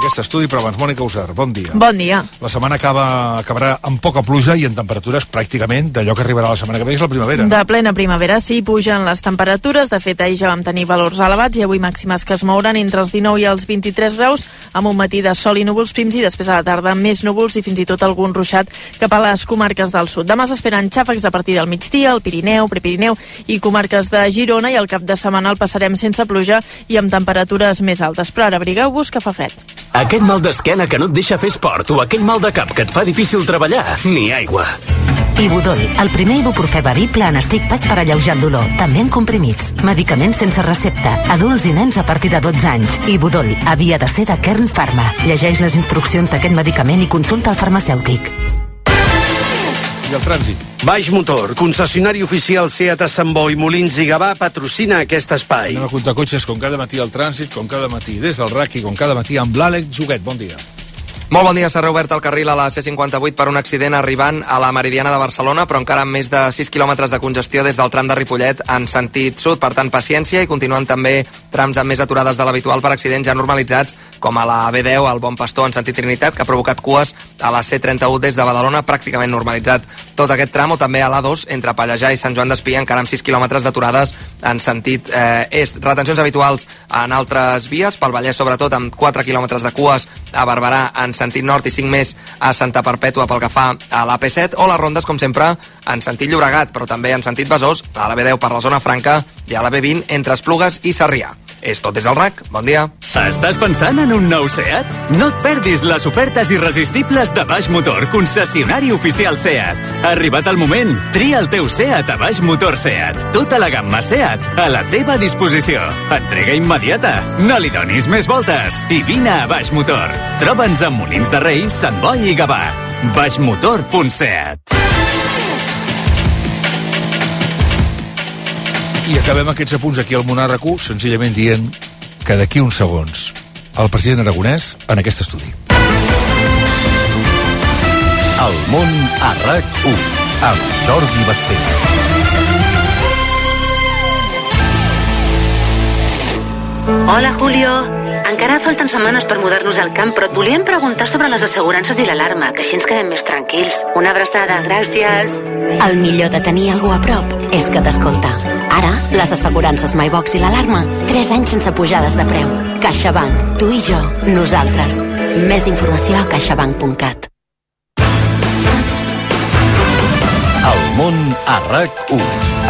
aquest estudi, però abans, Mònica Usar, bon dia. Bon dia. La setmana acabarà amb poca pluja i en temperatures pràcticament d'allò que arribarà la setmana que ve, és la primavera. De plena primavera, sí, pugen les temperatures. De fet, ahir ja vam tenir valors elevats i avui màximes que es mouran entre els 19 i els 23 graus, amb un matí de sol i núvols prims i després a la tarda més núvols i fins i tot algun ruixat cap a les comarques del sud. Demà s'esperen xàfecs a partir del migdia, al Pirineu, Prepirineu i comarques de Girona, i el cap de setmana el passarem sense pluja i amb temperatures més altes. Però ara abrigueu-vos que fa fred. Aquest mal d'esquena que no et deixa fer esport o aquell mal de cap que et fa difícil treballar, ni aigua. Ibudol, el primer ibuprofè bevible en stick pack per alleujar el dolor, també en comprimits. Medicaments sense recepta, adults i nens a partir de 12 anys. Ibudol havia de ser de Kern Pharma. Llegeix les instruccions d'aquest medicament i consulta el farmacèutic. I el trànsit. Baix Motor, concessionari oficial SEAT a Sant Boi, Molins i Gavà, patrocina aquest espai. Anem a comptar cotxes com cada matí al trànsit, com cada matí des del RAC i com cada matí amb l'Àlex Joguet. Bon dia. Molt bon dia. S'ha reobert el carril a la C58 per un accident arribant a la Meridiana de Barcelona, però encara amb més de 6 quilòmetres de congestió des del tram de Ripollet en sentit sud. Per tant, paciència, i continuen també trams amb més aturades de l'habitual per accidents ja normalitzats, com a la B10, al Bon Pastor en sentit Trinitat, que ha provocat cues a la C31 des de Badalona, pràcticament normalitzat tot aquest tram, o també a l'A2 entre Pallejà i Sant Joan d'Espí, encara amb 6 quilòmetres d'aturades en sentit est. Retencions habituals en altres vies, pel Vallès sobretot, amb 4 quilòmetres de cues a Barberà en sentit nord i 5 més a Santa Perpètua pel que fa a l'AP7, o les rondes, com sempre, en sentit Llobregat, però també en sentit Besòs, a la B10 per la zona franca i a la B20 entre Esplugues i Sarrià. És tot des del RAC. Bon dia. Estàs pensant en un nou SEAT? No et perdis les ofertes irresistibles de Baix Motor, concessionari oficial SEAT. Ha arribat el moment. Tria el teu SEAT a Baix Motor SEAT. Tota la gamma SEAT a la teva disposició. Entrega immediata. No li donis més voltes. I vine a Baix Motor. Troba'ns a Molins de Rei, Sant Boi i Gavà. baixmotor.seat. I acabem aquests apunts aquí al Món RQ senzillament dient que d'aquí uns segons el president Aragonès en aquest estudi. El Món a RAC1 amb Jordi Basté. Hola, Julio. Encara falten setmanes per mudar-nos al camp, però et volíem preguntar sobre les assegurances i l'alarma, que així ens quedem més tranquils. Una abraçada, gràcies. El millor de tenir algú a prop és que t'escolta. Ara, les assegurances MyBox i l'alarma, 3 anys sense pujades de preu. CaixaBank, tu i jo, nosaltres. Més informació a caixabank.cat. El Món a RAC1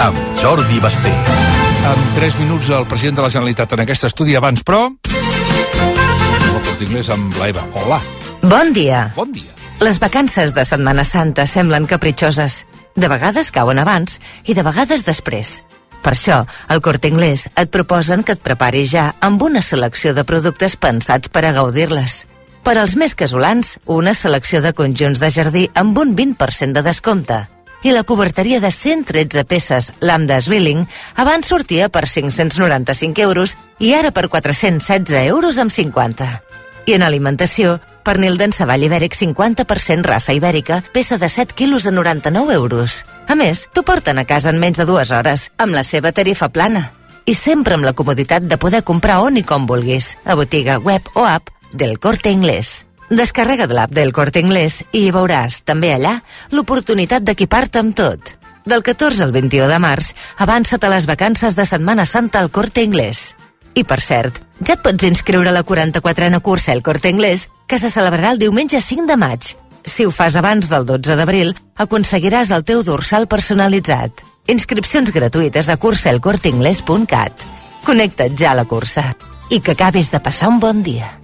amb Jordi Basté. En 3 minuts el president de la Generalitat en aquest estudi. Abans, però, el Corte Inglés amb la Eva. Hola. Bon dia. Bon dia. Les vacances de Setmana Santa semblen capritxoses. De vegades cauen abans i de vegades després. Per això, al Corte Inglés et proposen que et preparis ja amb una selecció de productes pensats per a gaudir-les. Per als més casolans, una selecció de conjunts de jardí amb un 20% de descompte. I la coberteria de 113 peces Lambda Zwilling abans sortia per 595 euros i ara per 416 euros amb 50. I en alimentació, pernil d'enceball ibèric 50% raça ibèrica, peça de 7 quilos a 99 euros. A més, t'ho porten a casa en menys de 2 hores, amb la seva tarifa plana. I sempre amb la comoditat de poder comprar on i com vulguis, a botiga, web o app del Corte Inglés. Descarrega't l'app del Corte Inglés i hi veuràs, també allà, l'oportunitat d'equipar-te amb tot. Del 14 al 21 de març, avança't a les vacances de Setmana Santa al Corte Inglés. I, per cert, ja et pots inscriure a la 44a cursa El Corte Inglés, que se celebrarà el diumenge 5 de maig. Si ho fas abans del 12 d'abril, aconseguiràs el teu dorsal personalitzat. Inscripcions gratuïtes a cursaelcorteingles.cat. Connecta't ja a la cursa. I que acabis de passar un bon dia.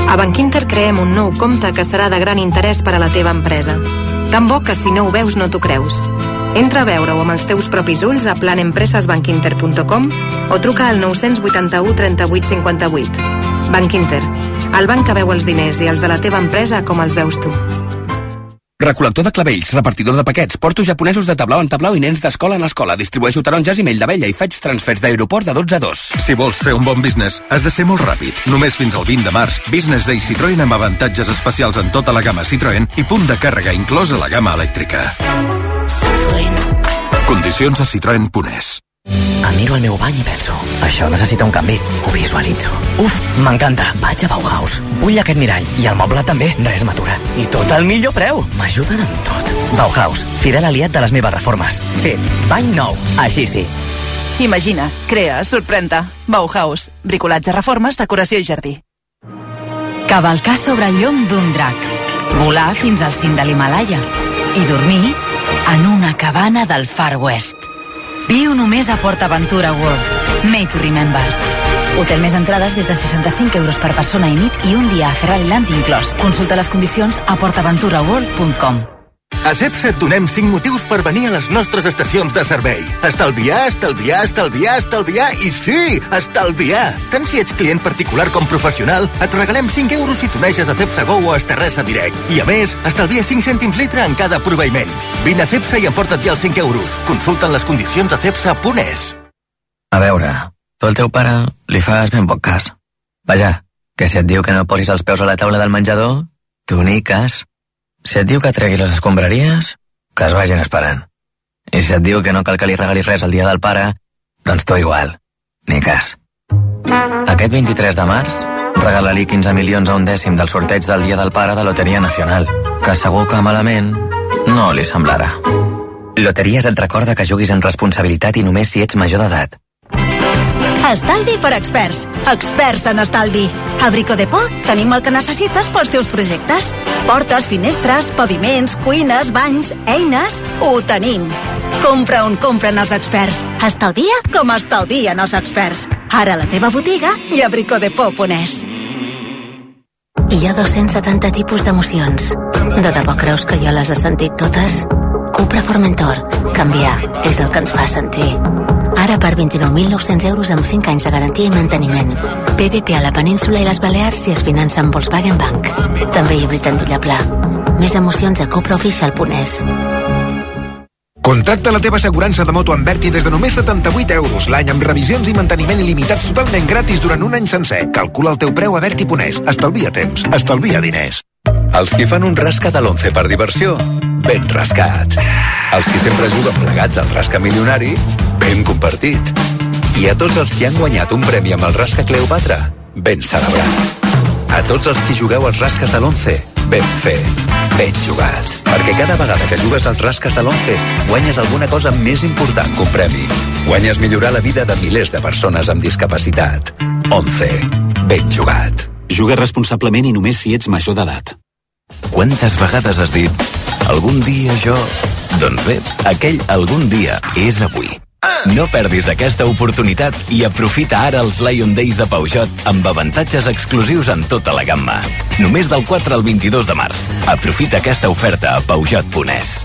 A Bankinter creem un nou compte que serà de gran interès per a la teva empresa. Tan bo que si no ho veus no t'ho creus. Entra a veure-ho amb els teus propis ulls a planempresasbankinter.com o truca al 981 38 58. Bankinter, el banc que veu els diners i els de la teva empresa com els veus tu. Recol·lector de clavells, repartidor de paquets, portos japonesos de tablau en tablau i nens d'escola en escola. Distribueixo taronges i mell d'abella i faig transfers d'aeroport de 12 a 2. Si vols fer un bon business, has de ser molt ràpid. Només fins al 20 de març, Business Day Citroën amb avantatges especials en tota la gamma Citroën i punt de càrrega inclòs a la gamma elèctrica. Citroën. Condicions a citroen.es. Em miro al meu bany i penso, això necessita un canvi. Ho visualitzo. Uf, m'encanta. Vaig a Bauhaus. Vull aquest mirall. I el moble també. Res m'atura. I tot al millor preu. M'ajuden en tot. Bauhaus, fidel aliat de les meves reformes. Fet. Bany nou. Així sí. Imagina, crea, sorprèn-te. Bauhaus. Bricolatge, reformes, decoració i jardí. Cavalcar sobre el llom d'un drac. Volar fins al cim de l'Himalaya. I dormir en una cabana del Far West. Viu només a PortAventura World. Made to remember. Hotel més entrades des de 65 euros per persona i nit i un dia a Ferrari Land inclòs. Consulta les condicions a portaventuraworld.com. A Cepsa et donem 5 motius per venir a les nostres estacions de servei. Estalviar, estalviar, estalviar, estalviar i sí, estalviar! Tant si ets client particular com professional, et regalem 5 euros si t'uneixes a Cepsa Go o a Esterresa Direct. I a més, estalvia 5 cèntims litre en cada proveïment. Vine a Cepsa i emporta't ja els 5 euros. Consulta'n les condicions a cepsa.es. A veure, tu al teu pare li fas ben poc cas. Vaja, que si et diu que no posis els peus a la taula del menjador, tu ni cas. Si et diu que tregui les escombraries, que es vagin esperant. I si et diu que no cal que li regalis res el dia del pare, doncs tu igual, ni cas. Aquest 23 de març, regala-li 15 milions a un dècim del sorteig del Dia del Pare de Loteria Nacional, que segur que malament no li semblarà. Loteries et recorda que juguis amb responsabilitat i només si ets major d'edat. Estalvi per experts. Experts en estalvi. A Brico Depot tenim el que necessites pels teus projectes. Portes, finestres, paviments, cuines, banys, eines... Ho tenim. Compra on compren els experts. Estalvia com estalvien els experts. Ara a la teva botiga i a bricodepot.es. Hi ha 270 tipus d'emocions. De debò creus que jo les he sentit totes? Cupra Formentor. Canviar és el que ens fa sentir. Ara per 29.900 euros amb 5 anys de garantia i manteniment. PVP a la península i les Balears si es finança amb Volkswagen Bank. També híbrid en Tullaplà. Més emocions a cupraoficial.es. Contracta la teva assegurança de moto amb Berti des de només 78 euros l'any amb revisions i manteniment il·limitats totalment gratis durant un any sencer. Calcula el teu preu a Berti.es. Estalvia temps, estalvia diners. Els qui fan un rasca de l'11 per diversió, ben rascat. Els qui sempre juguen plegats al rasca milionari, ben compartit. I a tots els qui han guanyat un premi amb el rasca Cleopatra, ben celebrat. A tots els qui jugueu als rasques de l'11, ben fet, ben jugat. Perquè cada vegada que jugues als rasques de l'11, guanyes alguna cosa més important que un premi. Guanyes millorar la vida de milers de persones amb discapacitat. 11. Ben jugat. Juga responsablement i només si ets major d'edat. Quantes vegades has dit algun dia jo... Doncs bé, aquell algun dia és avui. No perdis aquesta oportunitat i aprofita ara els Lion Days de Peugeot amb avantatges exclusius en tota la gamma. Només del 4 al 22 de març. Aprofita aquesta oferta a Peugeot.es.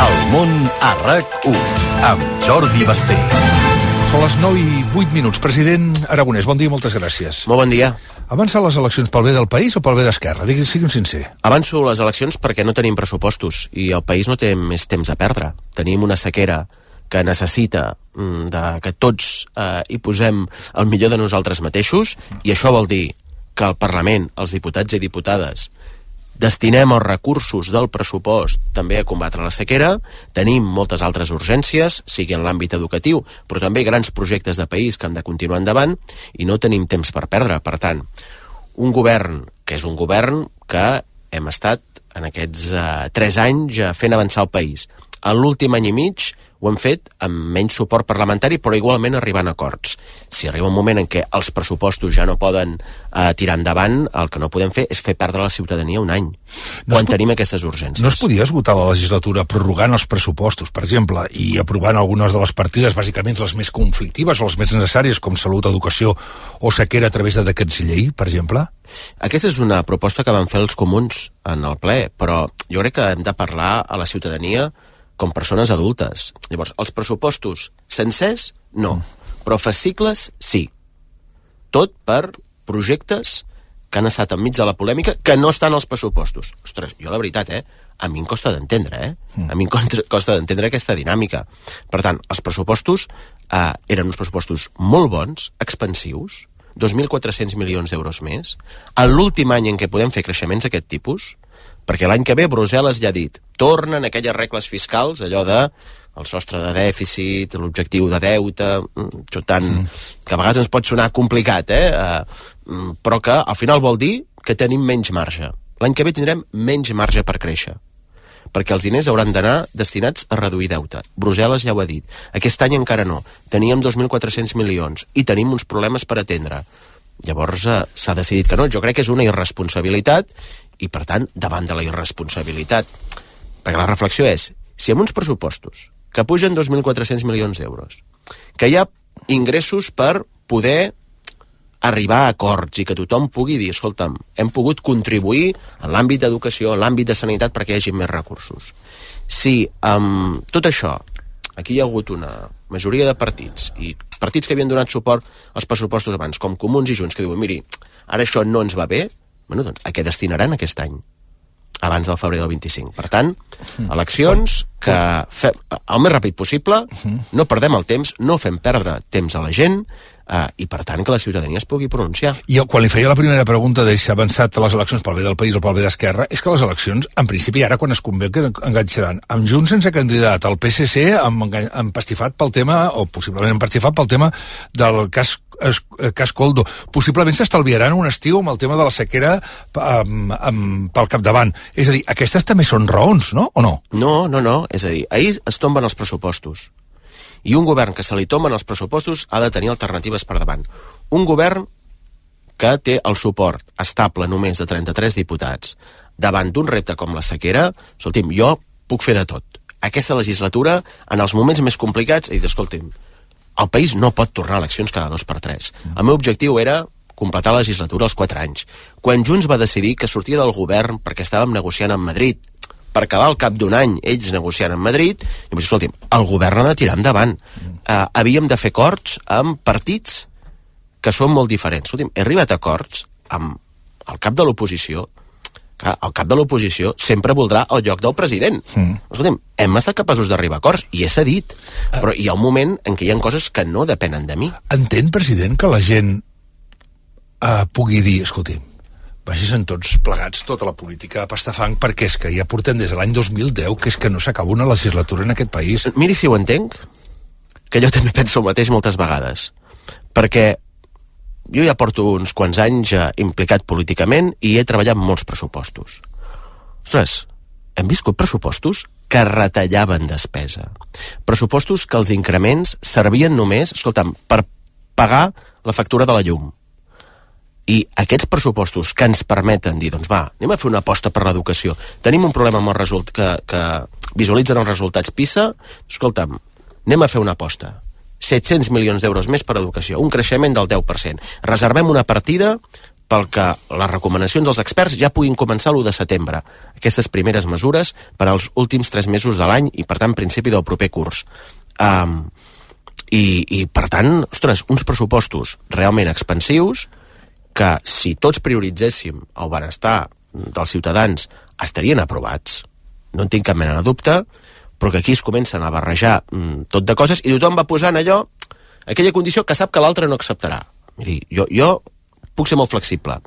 El món a RAC1 amb Jordi Basté. Són les 9 i 8 minuts. President Aragonès, bon dia i moltes gràcies. Molt bon dia. Avança les eleccions pel bé del país o pel bé d'Esquerra? Sigui'm sincer. Avanço les eleccions perquè no tenim pressupostos i el país no té més temps a perdre. Tenim una sequera que necessita que tots hi posem el millor de nosaltres mateixos i això vol dir que el Parlament, els diputats i diputades, destinem els recursos del pressupost també a combatre la sequera. Tenim moltes altres urgències, sigui en l'àmbit educatiu, però també grans projectes de país que han de continuar endavant i no tenim temps per perdre. Per tant, un govern que és un govern que hem estat en aquests 3 anys fent avançar el país. En l'últim any i mig ho hem fet amb menys suport parlamentari, però igualment arribant a acords. Si arriba un moment en què els pressupostos ja no poden tirar endavant, el que no podem fer és fer perdre a la ciutadania un any, quan tenim aquestes urgències. No es podia esgotar la legislatura prorrogant els pressupostos, per exemple, i aprovant algunes de les partides, bàsicament les més conflictives o les més necessàries, com salut, educació o sequera a través de decrets llei, per exemple? Aquesta és una proposta que van fer els comuns en el ple, però jo crec que hem de parlar a la ciutadania com persones adultes. Llavors, els pressupostos sencers, no. Però fascicles, sí. tot per projectes que han estat enmig de la polèmica, que no estan als pressupostos. Ostres, jo la veritat, a mi em costa d'entendre, A mi em costa d'entendre aquesta dinàmica. Per tant, els pressupostos eren uns pressupostos molt bons, expansius, 2.400 milions d'euros més, a l'últim any en què podem fer creixements d'aquest tipus, perquè l'any que ve Brussel·les ja ha dit, tornen aquelles regles fiscals, allò de el sostre de dèficit, l'objectiu de deute, que a vegades ens pot sonar complicat, però que al final vol dir que tenim menys marge. L'any que ve tindrem menys marge per créixer, perquè els diners hauran d'anar destinats a reduir deute. Brussel·les ja ho ha dit. Aquest any encara no. Teníem 2.400 milions i tenim uns problemes per atendre. Llavors s'ha decidit que no. Jo crec que és una irresponsabilitat i, per tant, davant de la irresponsabilitat, perquè la reflexió és, si amb uns pressupostos que pugen 2.400 milions d'euros, que hi ha ingressos per poder arribar a acords i que tothom pugui dir, escolta'm, hem pogut contribuir en l'àmbit d'educació, en l'àmbit de sanitat perquè hi hagi més recursos. Si amb tot això aquí hi ha hagut una majoria de partits i partits que havien donat suport als pressupostos abans, com Comuns i Junts, que diuen, miri, ara això no ens va bé, bueno, doncs a què destinaran aquest any? Abans del febrer del 25. Per tant, eleccions que fem el més ràpid possible, no perdem el temps, no fem perdre temps a la gent i, per tant, que la ciutadania es pugui pronunciar. I quan li feia la primera pregunta de si ha avançat les eleccions pel bé del país o pel bé d'Esquerra, és que les eleccions, en principi, ara quan es convé que enganxaran amb Junts sense candidat, el PSC empastifat pel tema, o possiblement empastifat pel tema del cas Coldo. Possiblement s'estalviaran un estiu amb el tema de la sequera pel capdavant. És a dir, aquestes també són raons, no? O no? No. És a dir, ahir es tomben els pressupostos. I un govern que se li tomben els pressupostos ha de tenir alternatives per davant. Un govern que té el suport estable només de 33 diputats davant d'un repte com la sequera, escolti'm, jo puc fer de tot. Aquesta legislatura, en els moments més complicats, he dit, escolti'm, el país no pot tornar a eleccions cada 2 per 3. El meu objectiu era completar la legislatura als 4 anys. Quan Junts va decidir que sortia del govern perquè estàvem negociant amb Madrid, per acabar al cap d'un any ells negociant amb Madrid, i vaig dir, escolti'm, el govern ha de tirar endavant. Havíem de fer acords amb partits que són molt diferents. Escolti'm, he arribat a acords amb el cap de l'oposició, que el cap de l'oposició sempre voldrà el lloc del president. Escolti'm, hem estat capaços d'arribar a acords, i he cedit, però hi ha un moment en què hi ha coses que no depenen de mi. Entén, president, que la gent pugui dir, escolti'm, vagin tots plegats tota la política a pastafang, perquè és que ja portem des de l'any 2010 que és que no s'acaba una legislatura en aquest país. Miri si ho entenc, que jo també penso el mateix moltes vegades, perquè jo ja porto uns quants anys implicat políticament i he treballat molts pressupostos. Ostres, hem viscut pressupostos que retallaven despesa. Pressupostos que els increments servien només, escolta'm, per pagar la factura de la llum. I aquests pressupostos que ens permeten dir, doncs va, anem a fer una aposta per l'educació. Tenim un problema amb el que visualitzen els resultats PISA. Escolta'm, anem a fer una aposta. 700 milions d'euros més per educació, un creixement del 10%. Reservem una partida pel que les recomanacions dels experts ja puguin començar l'1 de setembre. Aquestes primeres mesures per als últims 3 mesos de l'any i, per tant, principi del proper curs. I per tant, ostres, uns pressupostos realment expansius que, si tots prioritzéssim el benestar dels ciutadans, estarien aprovats. No en tinc cap mena de dubte, però que aquí es comencen a barrejar tot de coses i tothom va posant allò, aquella condició que sap que l'altre no acceptarà. Miri, jo puc ser molt flexible,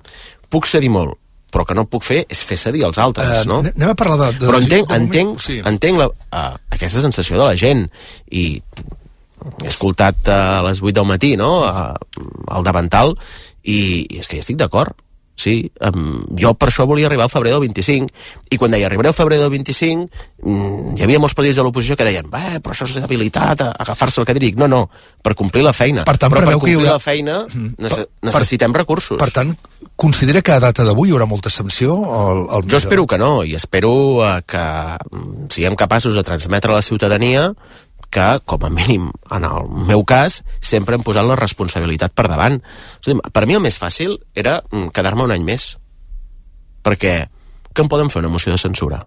puc cedir molt, però que no puc fer és fer cedir als altres, no? Anem a parlar de però entenc aquesta sensació de la gent, i he escoltat a les 8 del matí, no?, al davantal, i és que hi estic d'acord. Sí, jo per això volia arribar al febrer del 25, i quan deia arribaré al febrer del 25 hi havia molts partits de l'oposició que deien però això és habilitat, agafar-se el que dic. No, per complir la feina. Per tant, però per complir la feina necessitem recursos. Per tant, considera que a data d'avui hi haurà molta abstenció? Jo espero que no, i espero que siguem capaços de transmetre a la ciutadania que, com a mínim, en el meu cas, sempre hem posat la responsabilitat per davant. Per mi el més fàcil era quedar-me un any més. Perquè que em poden fer una moció de censura?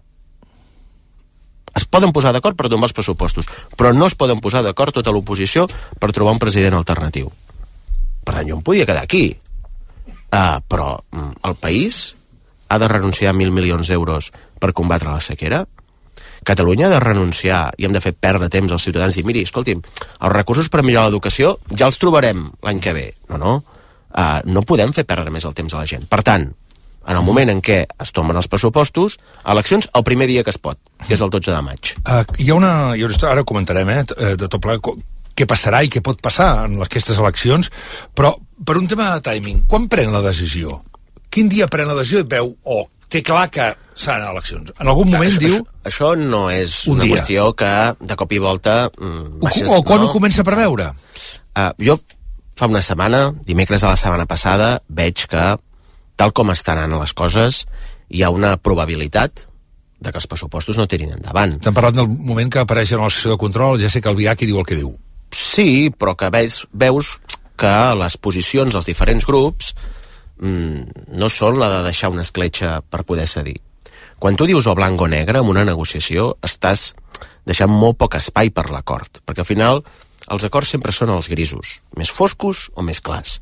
Es poden posar d'acord per tombar els pressupostos, però no es poden posar d'acord tota l'oposició per trobar un president alternatiu. Per tant, jo em podia quedar aquí. Però el país ha de renunciar a 1.000 milions d'euros per combatre la sequera. Catalunya ha de renunciar i hem de fer perdre temps als ciutadans i miri, escolti'm, els recursos per millorar l'educació ja els trobarem l'any que ve. No podem fer perdre més el temps a la gent. Per tant, en el moment en què es tomen els pressupostos, eleccions el primer dia que es pot, que és el 12 de maig. Hi ha una... Ara comentarem, de tot plegat, què passarà i què pot passar en aquestes eleccions, però per un tema de timing, quan pren la decisió? Quin dia pren la decisió i veu, té clar que seran eleccions? En algun moment diu... Això no és una qüestió que de cop i volta... O quan ho comença a preveure? Jo fa una setmana, dimecres de la setmana passada, veig que, tal com estan anant les coses, hi ha una probabilitat de que els pressupostos no tirin endavant. T'han parlat del moment que apareix en la sessió de control, ja sé que el Biac diu el que diu. Sí, però que veus que les posicions dels diferents grups no són la de deixar una escletxa per poder cedir. Quan tu dius o blanc o negre en una negociació, estàs deixant molt poc espai per l'acord, perquè al final els acords sempre són els grisos, més foscos o més clars.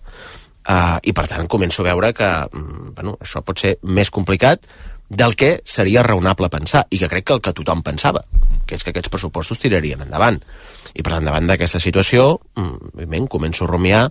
I per tant començo a veure que això pot ser més complicat del que seria raonable pensar, i que crec que el que tothom pensava, que és que aquests pressupostos tirarien endavant. I per tant, davant d'aquesta situació, començo a rumiar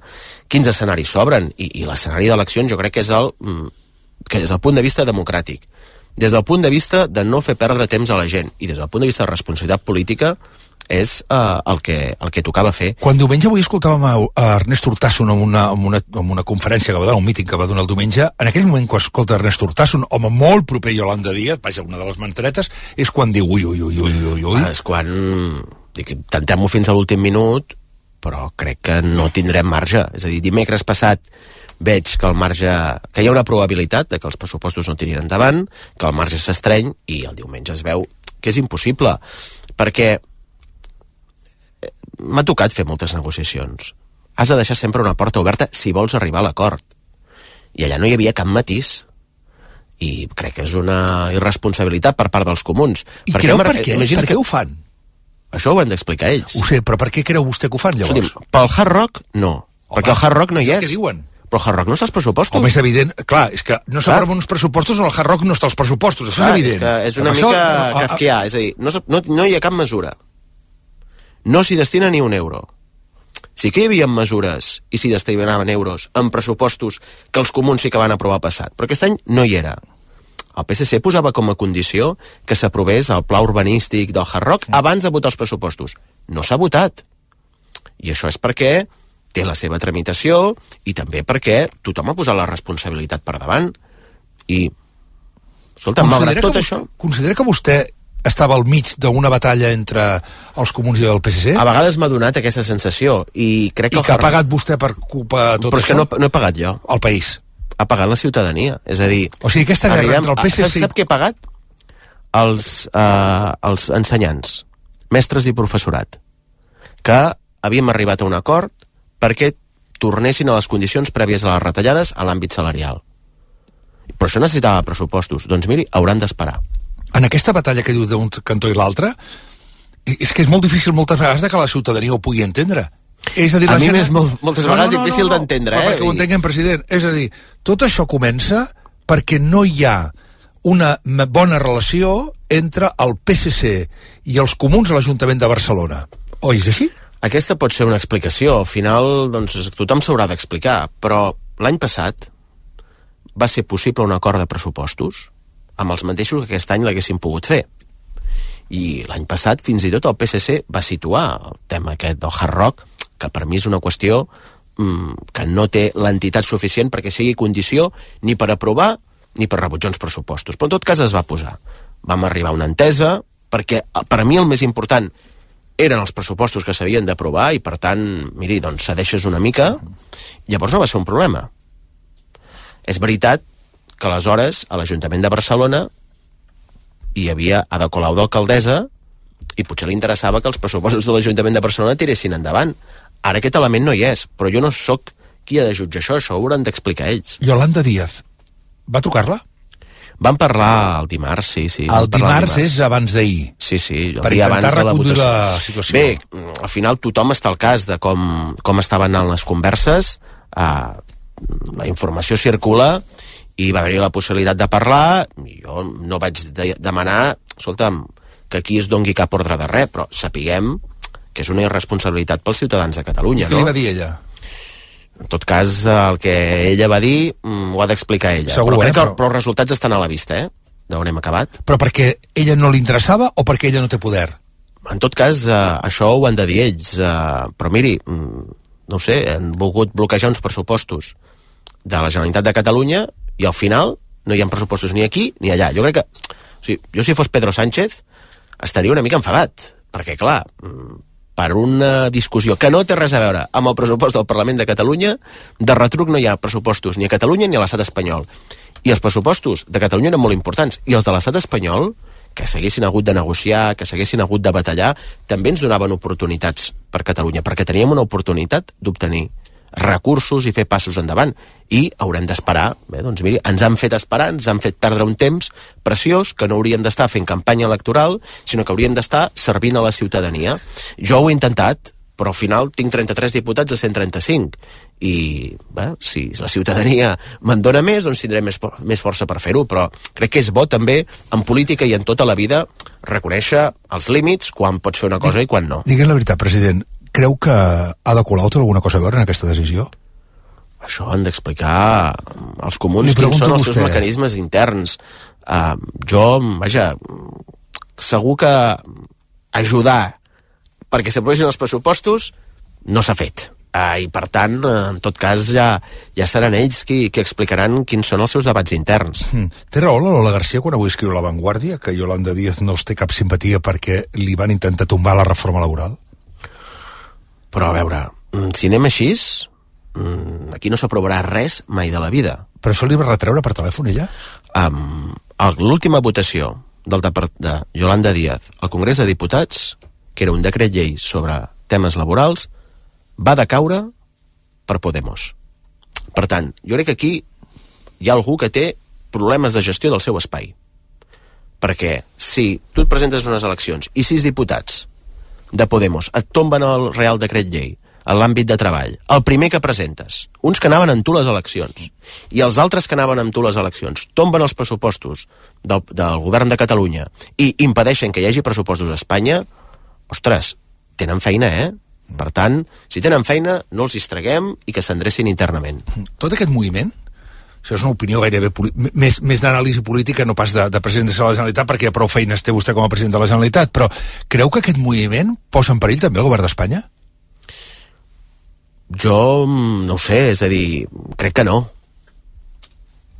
quins escenaris s'obren, i l'escenari d'eleccions jo crec que és el punt de vista democràtic, des del punt de vista de no fer perdre temps a la gent, i des del punt de vista de responsabilitat política, és el que tocava fer. Quan diumenge avui escoltàvem a Ernest Urtasun en una conferència que va donar, un míting que va donar el diumenge, en aquell moment quan escolta Ernest Urtasun, home molt proper a Yolanda Díaz, vaja, una de les mantretes, és quan diu ui. És quan intentem-ho fins a l'últim minut, però crec que no tindrem marge. És a dir, dimecres passat veig que hi ha una probabilitat de que els pressupostos no tirin endavant, que el marge s'estreny, i el diumenge es veu que és impossible, perquè m'ha tocat fer moltes negociacions. Has de deixar sempre una porta oberta si vols arribar a l'acord. I allà no hi havia cap matís. I crec que és una irresponsabilitat per part dels comuns. I creu per què? Per què ho fan? Això ho han d'explicar ells. Ho sé, però per què creu vostè que ho fan, llavors? Pel Hard Rock, no. Perquè el Hard Rock no hi és. Què diuen? Però el Hard Rock no està als pressupostos. Home, és evident. Clar, és que no s'aproven uns pressupostos on el Hard Rock no està als pressupostos. Això és evident. És una mica kafkià. És a dir, no hi ha cap mesura. No s'hi destina ni un euro. Sí que hi havia mesures i s'hi destinaven euros en pressupostos que els comuns sí que van aprovar passat, però aquest any no hi era. El PSC posava com a condició que s'aprovés el pla urbanístic del Hard Rock abans de votar els pressupostos. No s'ha votat. I això és perquè té la seva tramitació i també perquè tothom ha posat la responsabilitat per davant. I, escolta, malgrat tot això... Considera que vostè estava al mig d'una batalla entre els comuns i el PSC? A vegades m'ha donat aquesta sensació i crec que... I que ha pagat vostè per culpa de tot això? Però és que no he pagat jo. El país. Ha pagat la ciutadania. És a dir... O sigui, aquesta guerra entre el PSC... Sap què he pagat? Els ensenyants, mestres i professorat, que havíem arribat a un acord perquè tornessin a les condicions prèvies a les retallades a l'àmbit salarial. Però això necessitava pressupostos. Doncs miri, hauran d'esperar. En aquesta batalla que diu d'un cantó i l'altre, és que és molt difícil moltes vegades que la ciutadania ho pugui entendre. És a dir, a mi m'és moltes vegades difícil d'entendre. Perquè ho entenguem, president. És a dir, tot això comença perquè no hi ha una bona relació entre el PSC i els comuns a l'Ajuntament de Barcelona. O és així? Aquesta pot ser una explicació. Al final, doncs, tothom s'haurà d'explicar. Però l'any passat va ser possible un acord de pressupostos amb els mateixos que aquest any l'haguessin pogut fer. I l'any passat, fins i tot, el PSC va situar el tema aquest del Hard Rock, que per mi és una qüestió que no té l'entitat suficient perquè sigui condició ni per aprovar ni per rebutjar uns pressupostos. Però en tot cas es va posar. Vam arribar a una entesa, perquè per a mi el més important eren els pressupostos que s'havien d'aprovar i, per tant, miri, doncs cedeixes una mica, llavors no va ser un problema. És veritat que aleshores a l'Ajuntament de Barcelona hi havia Ada Colau d'alcaldessa i potser li interessava que els pressupostos de l'Ajuntament de Barcelona tiressin endavant. Ara aquest element no hi és, però jo no sóc qui ha de jutjar això ho hauran d'explicar ells. Yolanda Díaz, va trucar-la? Vam parlar el dimarts, sí. El dimarts és abans d'ahir. Sí, per intentar reconduir la situació. Bé, al final tothom està al cas de com estaven anant les converses. La informació circula i va haver-hi la possibilitat de parlar, i jo no vaig demanar, escolta'm, que aquí es dongui cap ordre de res, però sapiguem que és una irresponsabilitat pels ciutadans de Catalunya. Què li va dir ella? En tot cas, el que ella va dir ho ha d'explicar ella. Segur, però crec que però els resultats estan a la vista, d'on hem acabat. Però perquè ella no li interessava o perquè ella no té poder? En tot cas, això ho han de dir ells. Però miri, no sé, han volgut bloquejar uns pressupostos de la Generalitat de Catalunya i al final no hi ha pressupostos ni aquí ni allà. Jo crec que, o sigui, jo si fos Pedro Sánchez estaria una mica enfadat, perquè clar, per una discussió que no té res a veure amb el pressupost del Parlament de Catalunya, de retruc no hi ha pressupostos ni a Catalunya ni a l'estat espanyol. I els pressupostos de Catalunya eren molt importants, i els de l'estat espanyol, que s'haguessin hagut de negociar, que s'haguessin hagut de batallar, també ens donaven oportunitats per Catalunya, perquè teníem una oportunitat d'obtenir recursos i fer passos endavant, i haurem d'esperar. Bé, doncs miri, ens han fet esperar, ens han fet perdre un temps preciós que no haurien d'estar fent campanya electoral, sinó que haurien d'estar servint a la ciutadania. Jo ho he intentat, però al final tinc 33 diputats de 135, i bé, si la ciutadania me'n dona més, doncs tindré més força per fer-ho, però crec que és bo també en política i en tota la vida reconèixer els límits, quan pots fer una cosa i quan no. Digue'm la veritat, president, creu que Ada Colau té alguna cosa a veure en aquesta decisió? Això han d'explicar als comuns quins són els seus mecanismes interns. Jo, vaja, segur que ajudar perquè s'aprovessin els pressupostos no s'ha fet. I per tant, en tot cas, ja seran ells qui explicaran quins són els seus debats interns. Té raó la Lola García quan avui escriu a La Vanguardia que Yolanda Díaz no els té cap simpatia perquè li van intentar tombar la reforma laboral? Però a veure, si anem així, aquí no s'aprovarà res mai de la vida. Però això li va retreure per telèfon, ella? L'última votació de Yolanda Díaz al Congrés de Diputats, que era un decret llei sobre temes laborals, va decaure per Podemos. Per tant, jo crec que aquí hi ha algú que té problemes de gestió del seu espai. Perquè si tu et presentes unes eleccions i 6 diputats de Podemos et tomben el Real Decret Llei en l'àmbit de treball, el primer que presentes, uns que anaven amb tu les eleccions i els altres que anaven amb tu les eleccions, tomben els pressupostos del govern de Catalunya i impedeixen que hi hagi pressupostos a Espanya, ostres, tenen feina, Per tant, si tenen feina, no els distreguem i que s'endrecin internament. Tot aquest moviment, això és una opinió gairebé més d'anàlisi política, no pas de president de la Generalitat, perquè prou feines té vostè com a president de la Generalitat, però creu que aquest moviment posa en perill també el govern d'Espanya? Jo no ho sé, és a dir, crec que no.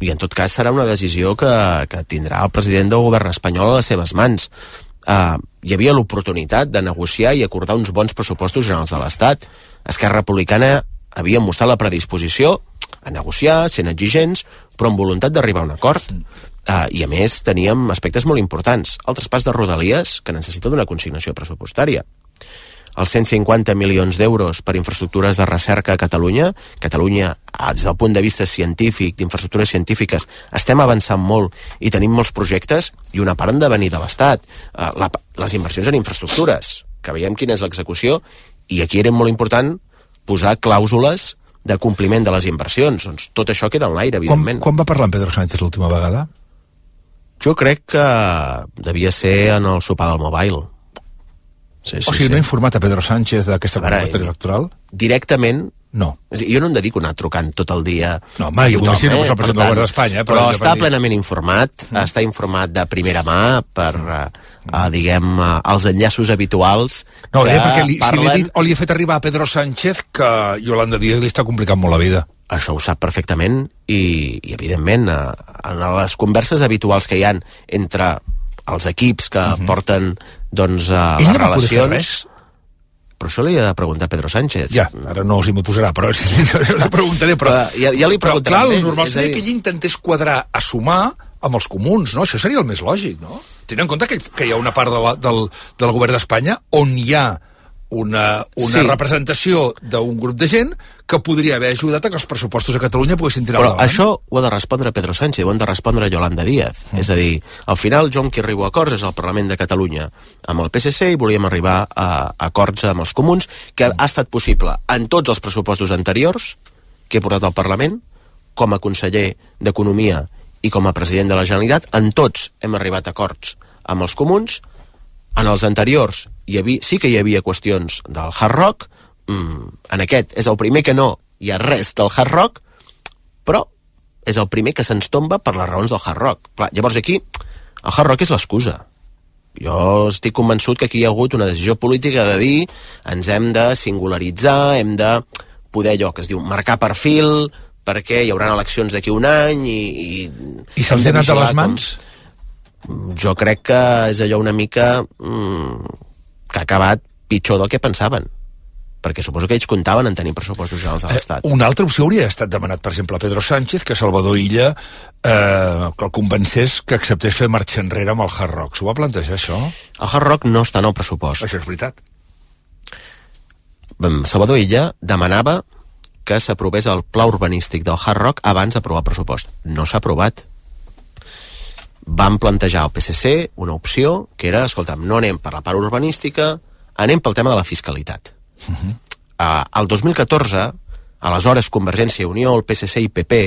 I en tot cas serà una decisió que tindrà el president del govern espanyol a les seves mans. Hi havia l'oportunitat de negociar i acordar uns bons pressupostos generals de l'Estat. Esquerra Republicana havia mostrat la predisposició a negociar, sent exigents, però amb voluntat d'arribar a un acord. I a més teníem aspectes molt importants. El traspàs de Rodalies, que necessita d'una consignació pressupostària. Els 150 milions d'euros per infraestructures de recerca a Catalunya. Catalunya, des del punt de vista científic, d'infraestructures científiques, estem avançant molt i tenim molts projectes, i una part han de venir de l'Estat. Les inversions en infraestructures, que veiem quina és l'execució, i aquí era molt important posar clàusules de compliment de les inversions. Doncs tot això queda en l'aire, evidentment. Quan va parlar amb Pedro Sánchez l'última vegada? Jo crec que devia ser en el sopar del Mobile. Sí, o sigui, no ha informat a Pedro Sánchez d'aquesta convocatòria electoral? Directament, no. Jo no em dedico a anar trucant tot el dia. No, mai, jo m'imagino que és el president del govern d'Espanya. Però està plenament informat, està informat de primera mà per, diguem, els enllaços habituals. No, perquè si li he dit o li he fet arribar a Pedro Sánchez que Yolanda Díaz li està complicant molt la vida. Això ho sap perfectament i evidentment, en les converses habituals que hi ha entre els equips que porten doncs les relacions, però això li ha de preguntar a Pedro Sánchez. Ja, ara no s'hi m'hi posarà, però li preguntaré. Però ja li preguntaré. Però clar, el normal seria que ell intentés quadrar a sumar amb els comuns, no? Això seria el més lògic, no? Tenint en compte que hi ha una part del govern d'Espanya on hi ha una representació d'un grup de gent que podria haver ajudat a que els pressupostos a Catalunya poguessin tirar endavant. Però això ho ha de respondre Pedro Sánchez, ho han de respondre Yolanda Díaz. És a dir, al final jo amb qui arribo a acords és al Parlament de Catalunya amb el PSC i volíem arribar a acords amb els comuns, que ha estat possible en tots els pressupostos anteriors, que he portat al Parlament, com a conseller d'Economia i com a president de la Generalitat. En tots hem arribat a acords amb els comuns. En els anteriors sí que hi havia qüestions del Hard Rock, en aquest és el primer que no hi ha res del Hard Rock, però és el primer que se'ns tomba per les raons del Hard Rock. Clar, llavors aquí el Hard Rock és l'excusa. Jo estic convençut que aquí hi ha hagut una decisió política de dir ens hem de singularitzar, hem de poder allò que es diu marcar perfil, perquè hi haurà eleccions d'aquí un any i se'ls ha anat a les mans? Jo crec que és allò una mica que ha acabat pitjor del que pensaven, perquè suposo que ells comptaven en tenir pressupostos generals de l'Estat. Una altra opció hauria estat demanat, per exemple, a Pedro Sánchez, que Salvador Illa que el convencés que acceptés fer marxa enrere amb el Hard Rock. S'ho va plantejar, això? El Hard Rock no està en el pressupost. Això és veritat. Salvador Illa demanava que s'aprovés el pla urbanístic del Hard Rock abans d'aprovar el pressupost. No s'ha aprovat. Van plantejar al PSC una opció que era, escolta'm, no anem per la part urbanística, anem pel tema de la fiscalitat. El 2014, aleshores Convergència i Unió, el PSC i PP,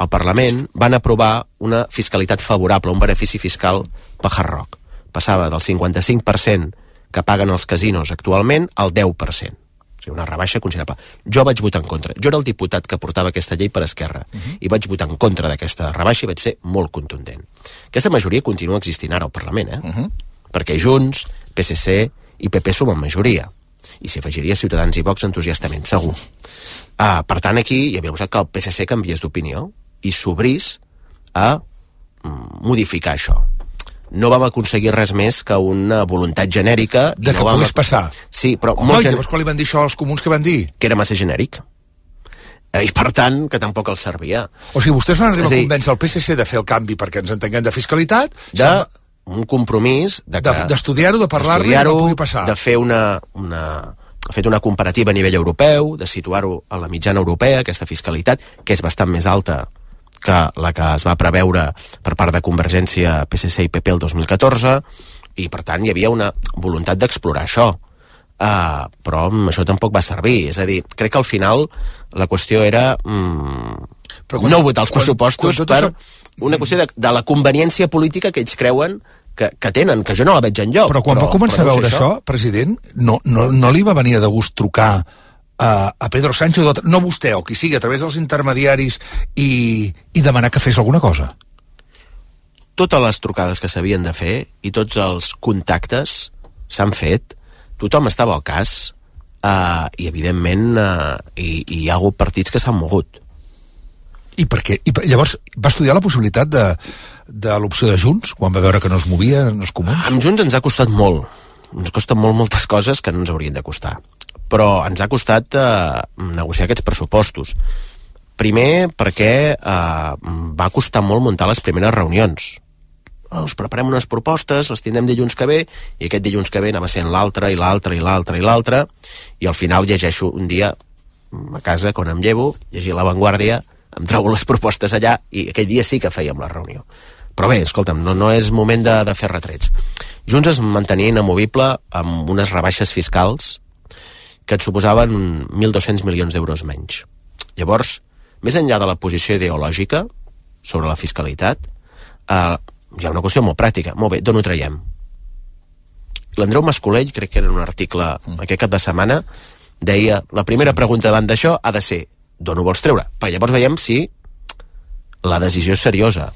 al Parlament van aprovar una fiscalitat favorable, un benefici fiscal per Hard Rock. Passava del 55% que paguen els casinos actualment al 10%. O sigui, una rebaixa considerable. Jo vaig votar en contra. Jo era el diputat que portava aquesta llei per Esquerra i vaig votar en contra d'aquesta rebaixa i vaig ser molt contundent. Aquesta majoria continua existint ara al Parlament, perquè Junts, PSC i PP som en majoria. I s'hi afegiria Ciutadans i Vox entusiastament, segur. Per tant, aquí hi havia que el PSC canviés d'opinió i s'obrís a modificar això. No vam aconseguir res més que una voluntat genèrica... De que pogués passar. Sí, però... Llavors quan li van dir això als comuns, què van dir? Que era massa genèric. I per tant, que tampoc els servia. O sigui, vostès van arribar a convèncer el PSC de fer el canvi perquè ens entenguem de fiscalitat... Un compromís... D'estudiar-ho, de parlar-ne i no pugui passar. De fer una comparativa a nivell europeu, de situar-ho a la mitjana europea, aquesta fiscalitat, que és bastant més alta que la que es va preveure per part de Convergència, PSC i PP el 2014, i per tant hi havia una voluntat d'explorar això. Però això tampoc va servir. És a dir, crec que al final la qüestió era no votar els pressupostos per una qüestió de la conveniència política que ells creuen que tenen, que jo no la veig enlloc. Però quan va començar a veure això, president, no li va venir de gust trucar a Pedro Sánchez, no vostè, o qui sigui, a través dels intermediaris i demanar que fes alguna cosa? Totes les trucades que s'havien de fer i tots els contactes s'han fet, tothom estava al cas i evidentment hi ha hagut partits que s'han mogut. I per què? Llavors va estudiar la possibilitat de l'opció de Junts quan va veure que no es movien els comuns? Amb Junts ens ha costat molt. Ens costen moltes coses que no ens haurien de costar. Però ens ha costat negociar aquests pressupostos. Primer perquè va costar molt muntar les primeres reunions. Us preparem unes propostes, les tindrem dilluns que ve, i aquest dilluns que ve anava sent l'altre, i l'altre, i l'altre, i l'altre, i al final llegeixo un dia a casa, quan em llevo, llegir La Vanguardia, em trobo les propostes allà, i aquell dia sí que fèiem la reunió. Però bé, escolta'm, no és moment de fer retrets. Junts es mantenia inamovible amb unes rebaixes fiscals que et suposaven 1.200 milions d'euros menys. Llavors, més enllà de la posició ideològica sobre la fiscalitat, hi ha una qüestió molt pràctica. Molt bé, d'on ho traiem? L'Andreu Mascolell, crec que era en un article aquest cap de setmana, deia, la primera pregunta davant d'això ha de ser, d'on ho vols treure? Però llavors veiem si la decisió és seriosa.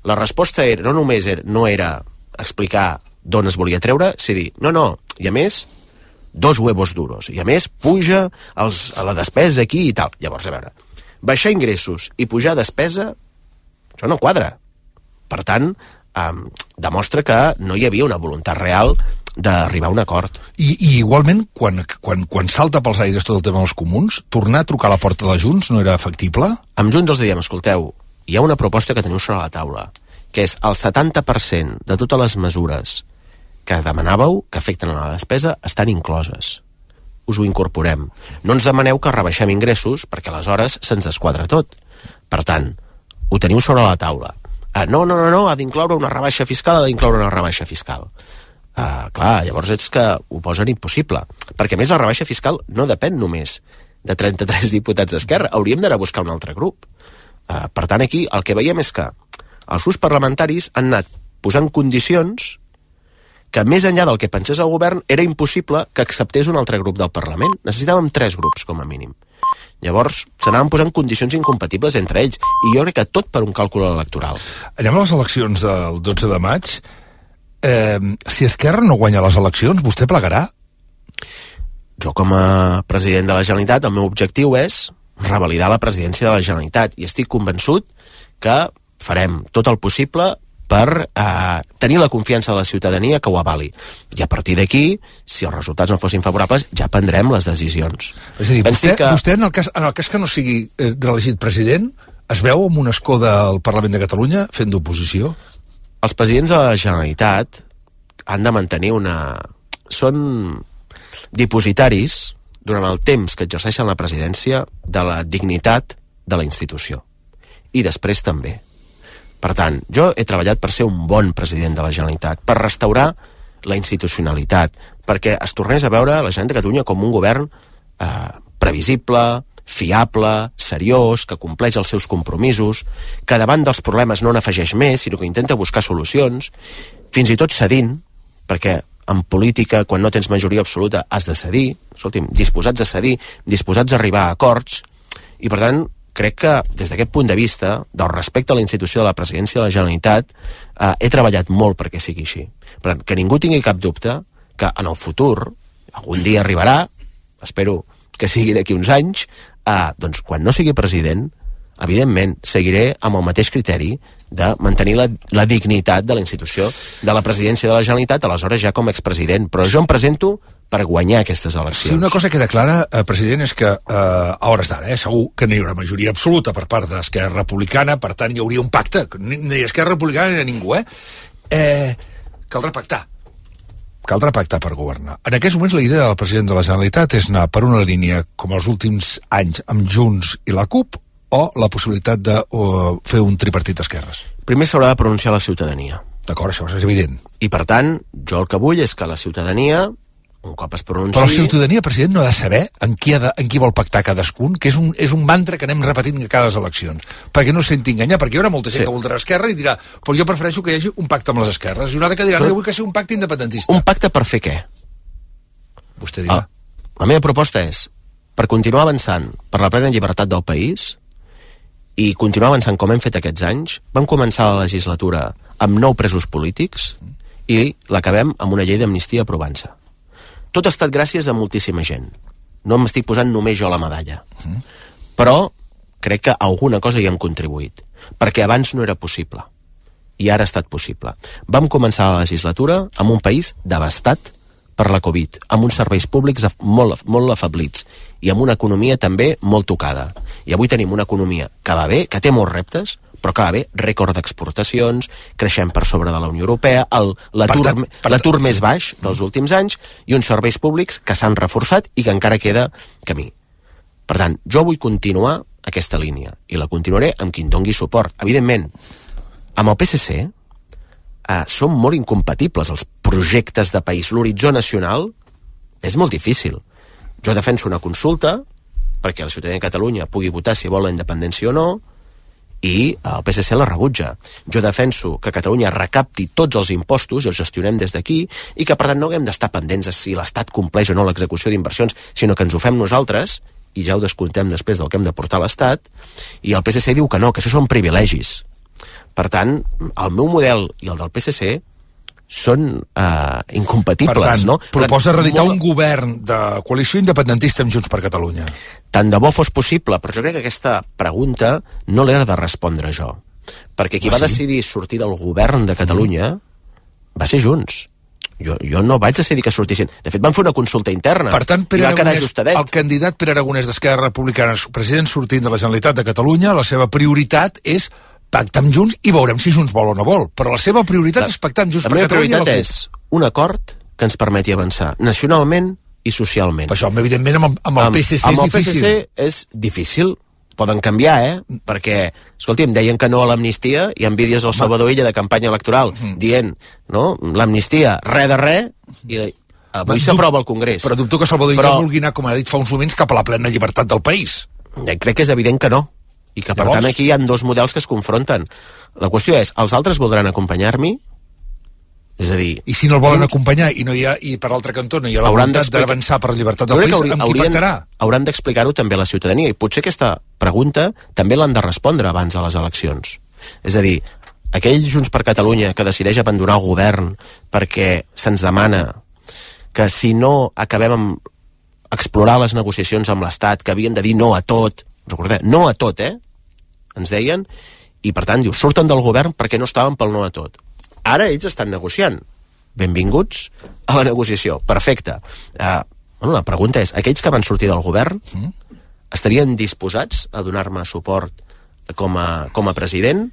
La resposta no només no era explicar d'on es volia treure, és dir, no, i a més, 2 huevos duros, i a més puja a la despesa aquí i tal. Llavors, a veure, baixar ingressos i pujar despesa, això no quadra. Per tant, demostra que no hi havia una voluntat real d'arribar a un acord. I igualment, quan salta pels aires tot el tema dels comuns, tornar a trucar a la porta de Junts no era factible? Amb Junts els diem, escolteu, hi ha una proposta que teniu sobre la taula, que és el 70% de totes les mesures que demanàveu que afecten a la despesa estan incloses. Us ho incorporem. No ens demaneu que rebaixem ingressos, perquè aleshores se'ns desquadra tot. Per tant, ho teniu sobre la taula. No, ha d'incloure una rebaixa fiscal, Clar, llavors és que ho posen impossible. Perquè a més la rebaixa fiscal no depèn només de 33 diputats d'Esquerra. Hauríem d'anar a buscar un altre grup. Per tant, aquí el que veiem és que els grups parlamentaris han anat posant condicions que més enllà del que pensés el govern era impossible que acceptés un altre grup del Parlament. Necessitàvem 3 grups, com a mínim. Llavors, s'anaven posant condicions incompatibles entre ells, i jo crec que tot per un càlcul electoral. Anem a les eleccions del 12 de maig. Si Esquerra no guanya les eleccions, vostè plegarà? Jo, com a president de la Generalitat, el meu objectiu és revalidar la presidència de la Generalitat, i estic convençut que farem tot el possible per tenir la confiança de la ciutadania que ho avali. I a partir d'aquí, si els resultats no fossin favorables, ja prendrem les decisions. És a dir, vostè en el cas que no sigui reelegit president, es veu amb un escó del Parlament de Catalunya fent d'oposició? Els presidents de la Generalitat han de mantenir són dipositaris, durant el temps que exerceixen la presidència, de la dignitat de la institució. I després també. Per tant, jo he treballat per ser un bon president de la Generalitat, per restaurar la institucionalitat, perquè es tornés a veure la Generalitat de Catalunya com un govern previsible, fiable, seriós, que compleix els seus compromisos, que davant dels problemes no n'afegeix més, sinó que intenta buscar solucions, fins i tot cedint, perquè en política, quan no tens majoria absoluta, has de cedir, escolti'm, disposats a cedir, disposats a arribar a acords, i per tant, crec que des d'aquest punt de vista, del respecte a la institució de la presidència de la Generalitat, he treballat molt perquè sigui així. Per tant, que ningú tingui cap dubte que en el futur, algun dia arribarà, espero que sigui d'aquí uns anys, doncs quan no sigui president, evidentment, seguiré amb el mateix criteri de mantenir la dignitat de la institució de la presidència de la Generalitat, aleshores ja com a expresident. Però jo em presento per guanyar aquestes eleccions. Si una cosa queda clara, president, és que a hores d'ara, segur que no hi haurà majoria absoluta per part d'Esquerra Republicana, per tant hi hauria un pacte, ni Esquerra Republicana ni ningú, caldrà pactar. Caldrà pactar per governar. En aquests moments la idea del president de la Generalitat és anar per una línia, com els últims anys, amb Junts i la CUP, o la possibilitat de fer un tripartit d'esquerres? Primer s'haurà de pronunciar la ciutadania. D'acord, això és evident. I per tant, jo el que vull és que la ciutadania, un cop es pronunciï... Però la ciutadania, president, no ha de saber en qui vol pactar cadascun, que és un mantra que anem repetint a cada eleccions, perquè no es senti enganyar, perquè hi haurà molta gent que voldrà Esquerra i dirà, però jo prefereixo que hi hagi un pacte amb les esquerres, i una altra que dirà, no, jo vull que sigui un pacte independentista. Un pacte per fer què? Vostè dirà. La meva proposta és, per continuar avançant per la plena llibertat del país, i continuar avançant com hem fet aquests anys, vam començar la legislatura amb 9 presos polítics i l'acabem amb una llei d'amnistia aprovant-se. Tot ha estat gràcies a moltíssima gent. No m'estic posant només jo la medalla. Però crec que alguna cosa hi hem contribuït, perquè abans no era possible. I ara ha estat possible. Vam començar la legislatura amb un país devastat per la Covid, amb uns serveis públics molt afablits i amb una economia també molt tocada. I avui tenim una economia que va bé, que té molts reptes, però que va bé, rècord d'exportacions, creixem per sobre de la Unió Europea, l'atur més baix dels últims anys i uns serveis públics que s'han reforçat i que encara queda camí. Per tant, jo vull continuar aquesta línia i la continuaré amb qui em dongui suport. Evidentment, amb el PSC són molt incompatibles els projectes de país. L'horitzó nacional és molt difícil. Jo defenso una consulta perquè la ciutadania de Catalunya pugui votar si vol la independència o no, i el PSC la rebutja. Jo defenso que Catalunya recapti tots els impostos i els gestionem des d'aquí, i que per tant no haguem d'estar pendents de si l'Estat compleix o no l'execució d'inversions, sinó que ens ho fem nosaltres i ja ho descomptem després del que hem de portar a l'Estat. I el PSC diu que no, que això són privilegis. Per tant, el meu model i el del PSC són incompatibles. Per tant, no? proposa reeditar un govern de coalició independentista amb Junts per Catalunya. Tant de bo fos possible, però jo crec que aquesta pregunta no l'he de respondre jo. Perquè qui va decidir sortir del govern de Catalunya va ser Junts. Jo no vaig decidir que sortissin. De fet, van fer una consulta interna. Per tant, i va quedar ajustadet. El candidat Pere Aragonès d'Esquerra Republicana, president sortint de la Generalitat de Catalunya, la seva prioritat és pactar amb Junts i veurem si Junts vol o no vol. Però la seva prioritat és pactar amb Junts per Catalunya. La meva prioritat és un acord que ens permeti avançar nacionalment i socialment. Per això, evidentment, amb el PSC és difícil. Amb el PSC és difícil. Poden canviar, perquè, escolti, em deien que no a l'amnistia, i en vídeos del Salvador Illa de campanya electoral dient, no, l'amnistia, res de res, i Avui s'aprova al Congrés. Però dubto que Salvador Illa vulgui anar, com ha dit fa uns moments, cap a la plena llibertat del país. Crec que és evident que no. I que, per tant, aquí hi ha dos models que es confronten. La qüestió és, els altres voldran acompanyar-m'hi? És a dir... I si no el volen acompanyar i per l'altre cantó no hi ha la voluntat d'avançar per la llibertat del país, amb qui pactarà? Hauran d'explicar-ho també a la ciutadania, i potser aquesta pregunta també l'han de respondre abans de les eleccions. És a dir, aquell Junts per Catalunya que decideix abandonar el govern perquè se'ns demana que si no acabem amb explorar les negociacions amb l'Estat, que havien de dir no a tot, recordeu, no a tot, ens deien, i per tant, surten del govern perquè no estaven pel no a tot. Ara ells estan negociant. Benvinguts a la negociació. Perfecte. La pregunta és, aquells que van sortir del govern estarien disposats a donar-me suport com a president?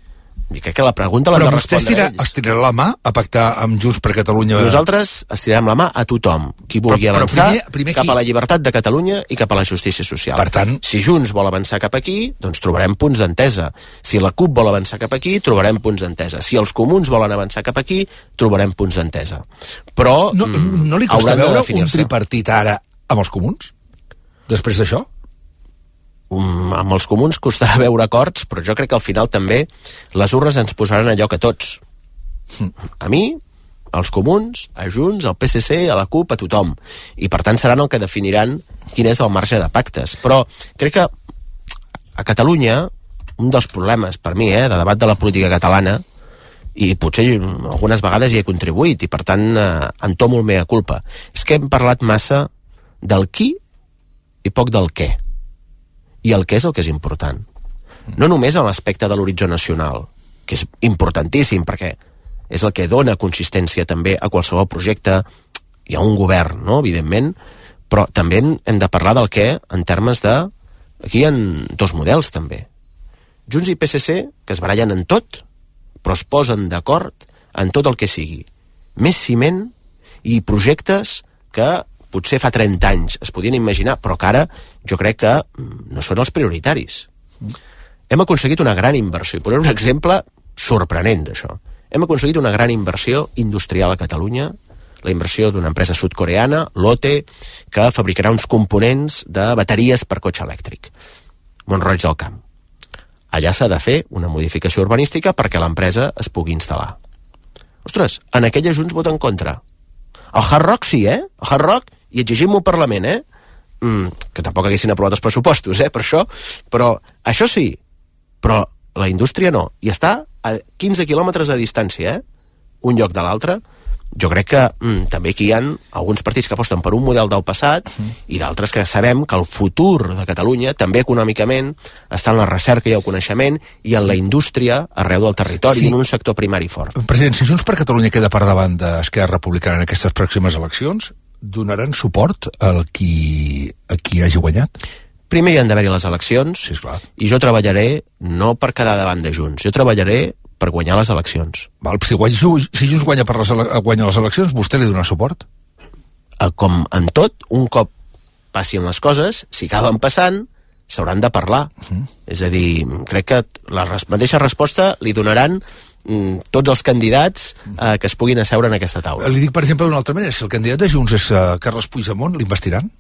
I crec que la pregunta l'han de respondre ells. Però vostè estirarà la mà a pactar amb Junts per Catalunya? Nosaltres estirarem la mà a tothom. Qui vulgui avançar cap a la llibertat de Catalunya i cap a la justícia social. Per tant... Si Junts vol avançar cap aquí, doncs trobarem punts d'entesa. Si la CUP vol avançar cap aquí, trobarem punts d'entesa. Si els comuns volen avançar cap aquí, trobarem punts d'entesa. Però no li costa veure un tripartit ara amb els comuns? Després d'això? Amb els comuns costarà veure acords, però jo crec que al final també les urnes ens posaran a lloc a tots. A mi, als comuns, a Junts, al PSC, a la CUP, a tothom. I per tant seran el que definiran quin és el marge de pactes. Però crec que a Catalunya un dels problemes, per mi, de debat de la política catalana, i potser algunes vegades hi he contribuït, i per tant entomo el mea culpa, és que hem parlat massa del qui i poc del què. I el què és el que és important. No només en l'aspecte de l'horitzó nacional, que és importantíssim, perquè és el que dona consistència també a qualsevol projecte. Hi ha un govern, no?, evidentment, però també hem de parlar del què en termes de... Aquí hi ha dos models, també. Junts i PSC, que es barallen en tot, però es posen d'acord en tot el que sigui. Més ciment i projectes que potser fa 30 anys es podien imaginar, però que ara jo crec que no són els prioritaris. Hem aconseguit una gran inversió, i posaré un exemple sorprenent d'això. Hem aconseguit una gran inversió industrial a Catalunya, la inversió d'una empresa sud-coreana, Lotte, que fabricarà uns components de bateries per cotxe elèctric. Mont-roig del Camp. Allà s'ha de fer una modificació urbanística perquè l'empresa es pugui instal·lar. Ostres, en aquella Junts vota en contra. El Hard Rock sí, El Hard Rock, i exigim-ho al Parlament, que tampoc haguessin aprovat els pressupostos, per això, però això sí, però la indústria no, i està a 15 quilòmetres de distància, un lloc de l'altre. Jo crec que també aquí hi ha alguns partits que aposten per un model del passat i d'altres que sabem que el futur de Catalunya, també econòmicament, està en la recerca i el coneixement i en la indústria arreu del territori, en un sector primari fort. President, si Junts per Catalunya queda per davant d'Esquerra Republicana en aquestes pròximes eleccions, donaran suport a qui hagi guanyat? Primer hi han d'haver-hi les eleccions, sí, esclar. I jo treballaré no per quedar davant de Junts, jo treballaré per guanyar les eleccions. Val, si Junts guanya les eleccions, vostè li dona suport? Com en tot, un cop passin les coses, si acaben passant, s'hauran de parlar. És a dir, crec que la mateixa resposta li donaran tots els candidats que es puguin asseure en aquesta taula. Li dic, per exemple, d'una altra manera, si el candidat de Junts és Carles Puigdemont, l'investiran?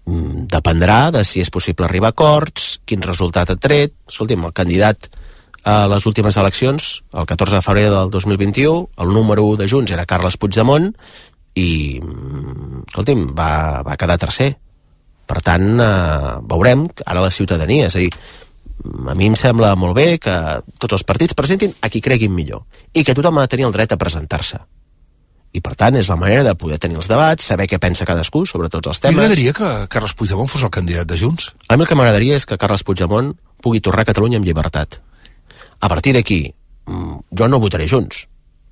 Dependrà de si és possible arribar a acords, quin resultat ha tret. Escolti'm, el candidat a les últimes eleccions, el 14 de febrer del 2021, el número 1 de Junts era Carles Puigdemont i, escolti'm, va quedar tercer. Per tant, veurem ara la ciutadania. És a dir, a mi em sembla molt bé que tots els partits presentin a qui creguin millor i que tothom ha de tenir el dret a presentar-se. I, per tant, és la manera de poder tenir els debats, saber què pensa cadascú sobre tots els temes. M'agradaria que Carles Puigdemont fos el candidat de Junts? A mi el que m'agradaria és que Carles Puigdemont pugui tornar a Catalunya amb llibertat. A partir d'aquí, jo no votaré Junts.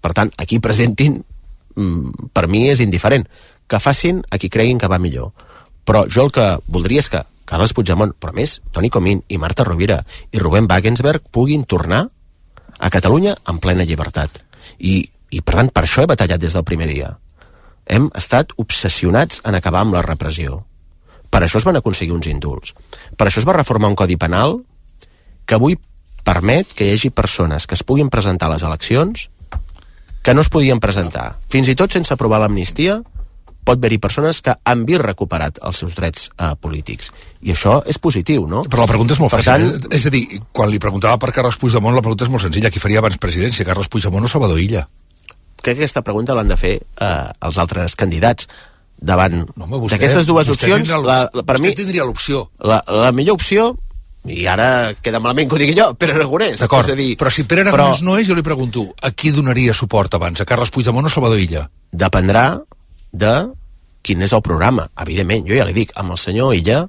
Per tant, aquí presentin, per mi és indiferent. Que facin a qui creguin que va millor. Però jo el que voldria és que Carles Puigdemont, però més, Toni Comín i Marta Rovira i Rubén Wagensberg puguin tornar a Catalunya en plena llibertat. I per tant, per això he batallat des del primer dia. Hem estat obsessionats en acabar amb la repressió. Per això es van aconseguir uns indults. Per això es va reformar un codi penal que avui permet que hi hagi persones que es puguin presentar a les eleccions que no es podien presentar. Fins i tot sense aprovar l'amnistia, pot haver-hi persones que han vist recuperat els seus drets polítics. I això és positiu, no? Però la pregunta és molt fàcil. És a dir, quan li preguntava per Carles Puigdemont, la pregunta és molt senzilla. Qui faria abans presidència, Carles Puigdemont o Salvador Illa? Crec que aquesta pregunta l'han de fer els altres candidats. Davant d'aquestes dues opcions, per mi... Vostè tindria l'opció. La millor opció, i ara queda malament que ho digui jo, Pere Aragonès. D'acord, però si Pere Aragonès no és, jo li pregunto, a qui donaria suport abans, a Carles Puigdemont o Salvador Illa? Dependrà de quin és el programa. Evidentment, jo ja li dic, amb el senyor Illa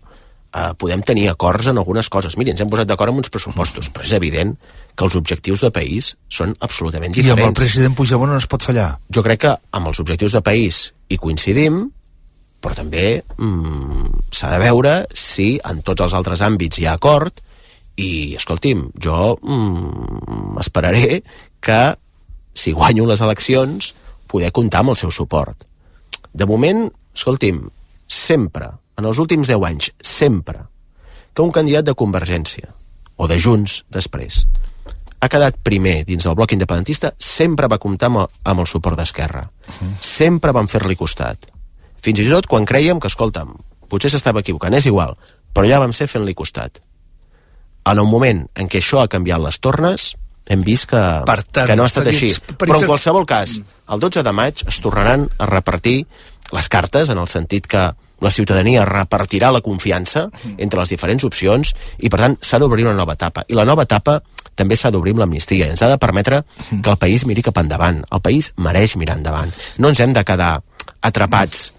podem tenir acords en algunes coses. Miri, ens hem posat d'acord amb uns pressupostos, però és evident que els objectius de país són absolutament diferents. I amb el president Puigdemont no es pot fallar? Jo crec que amb els objectius de país hi coincidim, però també s'ha de veure si en tots els altres àmbits hi ha acord i, escolti'm, jo esperaré que si guanyo les eleccions poder comptar amb el seu suport. De moment, escolti'm, sempre, en els últims 10 anys, sempre que un candidat de Convergència o de Junts després ha quedat primer dins del bloc independentista, sempre va comptar amb el suport d'Esquerra. Sempre van fer-li costat. Fins i tot quan creiem que, escolta'm, potser s'estava equivocant, és igual, però ja vam ser fent-li costat. En un moment en què això ha canviat les tornes, hem vist que no ha estat així. Però en qualsevol cas, el 12 de maig es tornaran a repartir les cartes, en el sentit que la ciutadania repartirà la confiança entre les diferents opcions i, per tant, s'ha d'obrir una nova etapa. I la nova etapa també s'ha d'obrir amb l'amnistia. Ens ha de permetre que el país miri cap endavant. El país mereix mirar endavant. No ens hem de quedar atrapats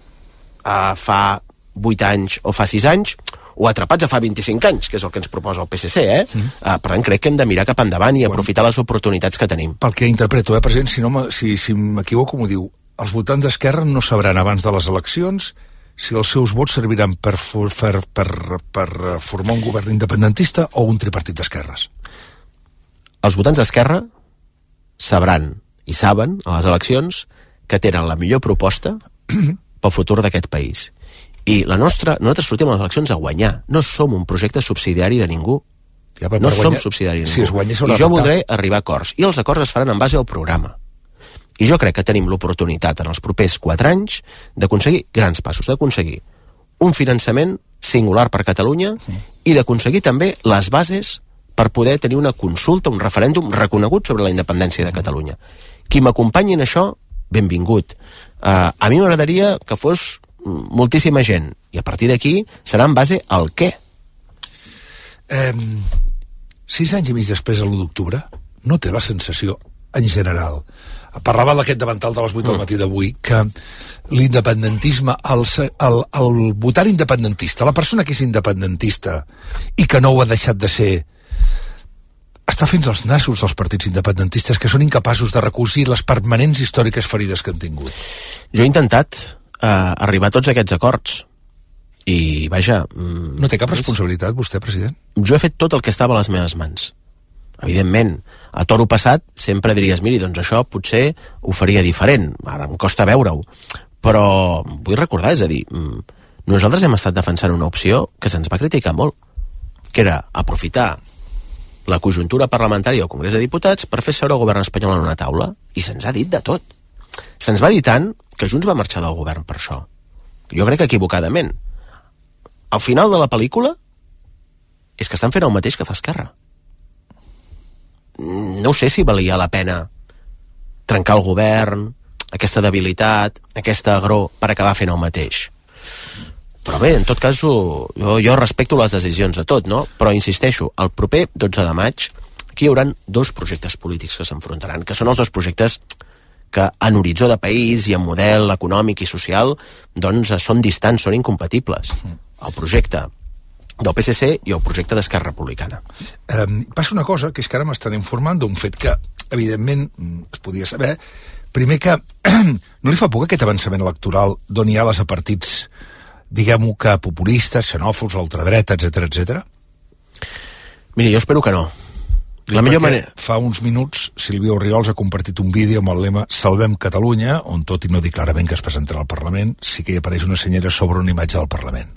fa 8 anys o fa 6 anys, o atrapats a fa 25 anys, que és el que ens proposa el PSC, Per tant, crec que hem de mirar cap endavant i aprofitar les oportunitats que tenim. Pel que interpreto, president, si m'equivoco, m'ho diu, els votants d'Esquerra no sabran abans de les eleccions si els seus vots serviran per formar un govern independentista o un tripartit d'esquerres. Els votants d'Esquerra sabran i saben a les eleccions que tenen la millor proposta pel futur d'aquest país. I nosaltres sortim a les eleccions a guanyar. No som un projecte subsidiari de ningú. No som subsidiari de ningú. Si es guanya, I jo voldré arribar a acords. I els acords es faran en base al programa. I jo crec que tenim l'oportunitat en els propers 4 anys d'aconseguir grans passos, d'aconseguir un finançament singular per Catalunya i d'aconseguir també les bases per poder tenir una consulta, un referèndum reconegut sobre la independència de Catalunya. Qui m'acompanyi en això, benvingut. A mi m'agradaria que fos moltíssima gent, i a partir d'aquí serà en base al què. 6 anys i mig després de l'1 d'octubre, no té la sensació, en general, parlava d'aquest davantal de les 8 del matí d'avui, que l'independentisme, el votant independentista, la persona que és independentista i que no ho ha deixat de ser, està fins als nassos dels partits independentistes, que són incapaços de recosir les permanents històriques ferides que han tingut. Jo he intentat arribar a tots aquests acords i, vaja... No té cap responsabilitat, vostè, president? Jo he fet tot el que estava a les meves mans. Evidentment, a toro passat sempre diries, miri, doncs això potser ho faria diferent, ara em costa veure-ho, però vull recordar, és a dir, nosaltres hem estat defensant una opció que se'ns va criticar molt, que era aprofitar la conjuntura parlamentària al Congrés de Diputats per fer seure el govern espanyol en una taula, i se'ns ha dit de tot. Se'ns va dir tant que Junts va marxar del govern per això. Jo crec que equivocadament. Al final de la pel·lícula és que estan fent el mateix que fa Esquerra. No sé si valia la pena trencar el govern, aquesta debilitat, aquesta agror, per acabar fent el mateix. Però bé, en tot cas, jo respecto les decisions de tot, no? Però insisteixo, el proper 12 de maig aquí hi haurà 2 projectes polítics que s'enfrontaran, que són els 2 projectes que en horitzó de país i en model econòmic i social doncs són distants, són incompatibles. El projecte del PSC i el projecte d'Esquerra Republicana. Passa una cosa, que és que ara m'estan informant d'un fet que, evidentment, es podia saber. Primer que no li fa por que aquest avançament electoral doni ales a partits, diguem-ho que populistes, xenòfobs, l'ultradreta, etc. Miri, jo espero que no. La millor manera... Fa uns minuts Sílvia Orriols ha compartit un vídeo amb el lema Salvem Catalunya, on tot i no dir clarament que es presentarà al Parlament, sí que hi apareix una senyera sobre una imatge del Parlament.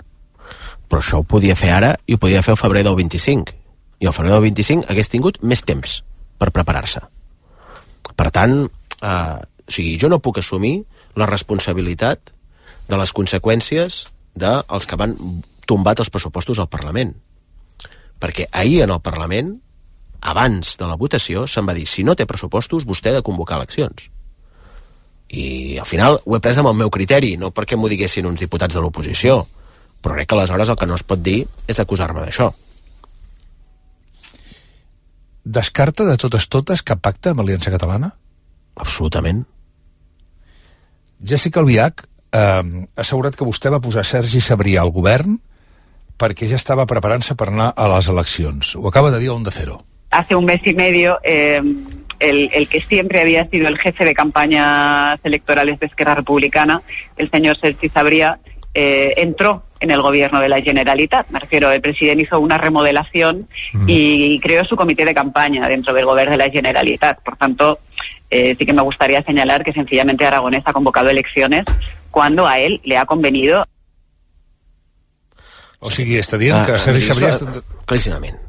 Però això ho podia fer ara i ho podia fer al febrer del 25. I al febrer del 25 hagués tingut més temps per preparar-se. Per tant, jo no puc assumir la responsabilitat de les conseqüències dels que van tombat els pressupostos al Parlament. Perquè ahir en el Parlament, abans de la votació, se'n va dir, si no té pressupostos, vostè ha de convocar eleccions. I al final ho he pres amb el meu criteri, no perquè m'ho diguessin uns diputats de l'oposició, però crec que aleshores el que no es pot dir és acusar-me d'això. Descarta de totes cap pacte amb Aliança Catalana? Absolutament. Jessica Albiach ha assegurat que vostè va posar Sergi Sabrià al govern perquè ja estava preparant-se per anar a les eleccions. Ho acaba de dir a Onda Cero. Hace un mes y medio, el que siempre había sido el jefe de campañas electorales de Esquerra Republicana, el señor Sergi Sabrià, entró en el gobierno de la Generalitat. Me refiero, el presidente hizo una remodelación y creó su comité de campaña dentro del gobierno de la Generalitat. Por tanto, sí que me gustaría señalar que sencillamente Aragonès ha convocado elecciones cuando a él le ha convenido. O sigui, està dient que Sergi Sabrià... Claríssimament.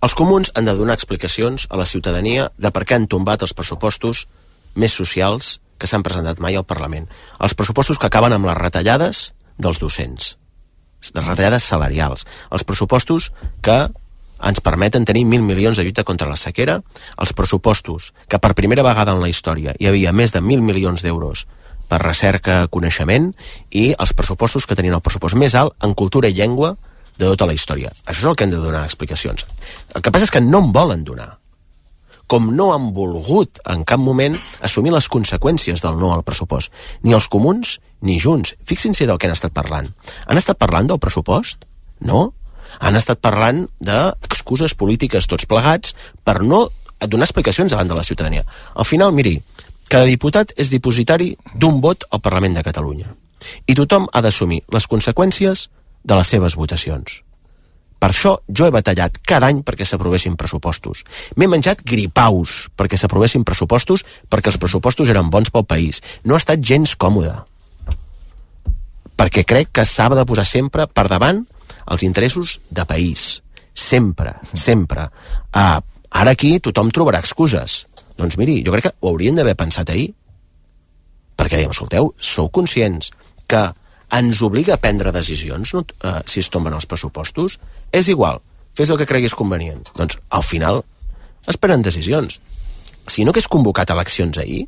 Els comuns han de donar explicacions a la ciutadania de per què han tombat els pressupostos més socials que s'han presentat mai al Parlament. Els pressupostos que acaben amb les retallades dels docents, les retallades salarials, els pressupostos que ens permeten tenir 1.000 milions de lluita contra la sequera, els pressupostos que per primera vegada en la història hi havia més de 1.000 milions d'euros per recerca, coneixement, i els pressupostos que tenien el pressupost més alt en cultura i llengua de tota la història. Això és el que hem de donar explicacions. El que passa és que no en volen donar. Com no han volgut en cap moment assumir les conseqüències del no al pressupost. Ni els comuns ni Junts. Fixin-se del que han estat parlant. Han estat parlant del pressupost? No. Han estat parlant d'excuses polítiques tots plegats per no donar explicacions davant de la ciutadania. Al final, miri, cada diputat és dipositari d'un vot al Parlament de Catalunya. I tothom ha d'assumir les conseqüències de les seves votacions. Per això jo he batallat cada any perquè s'aprovessin pressupostos. M'he menjat gripaus perquè s'aprovessin pressupostos, perquè els pressupostos eren bons pel país. No ha estat gens còmode. Perquè crec que s'ha de posar sempre per davant els interessos de país. Sempre, sempre. Ara aquí tothom trobarà excuses. Doncs miri, jo crec que ho haurien d'haver pensat ahir. Perquè dèiem, escolteu, sou conscients que ens obliga a prendre decisions si es tomben els pressupostos? És igual, fes el que creguis convenient. Doncs al final es prenen decisions. Si no hagués convocat eleccions ahir,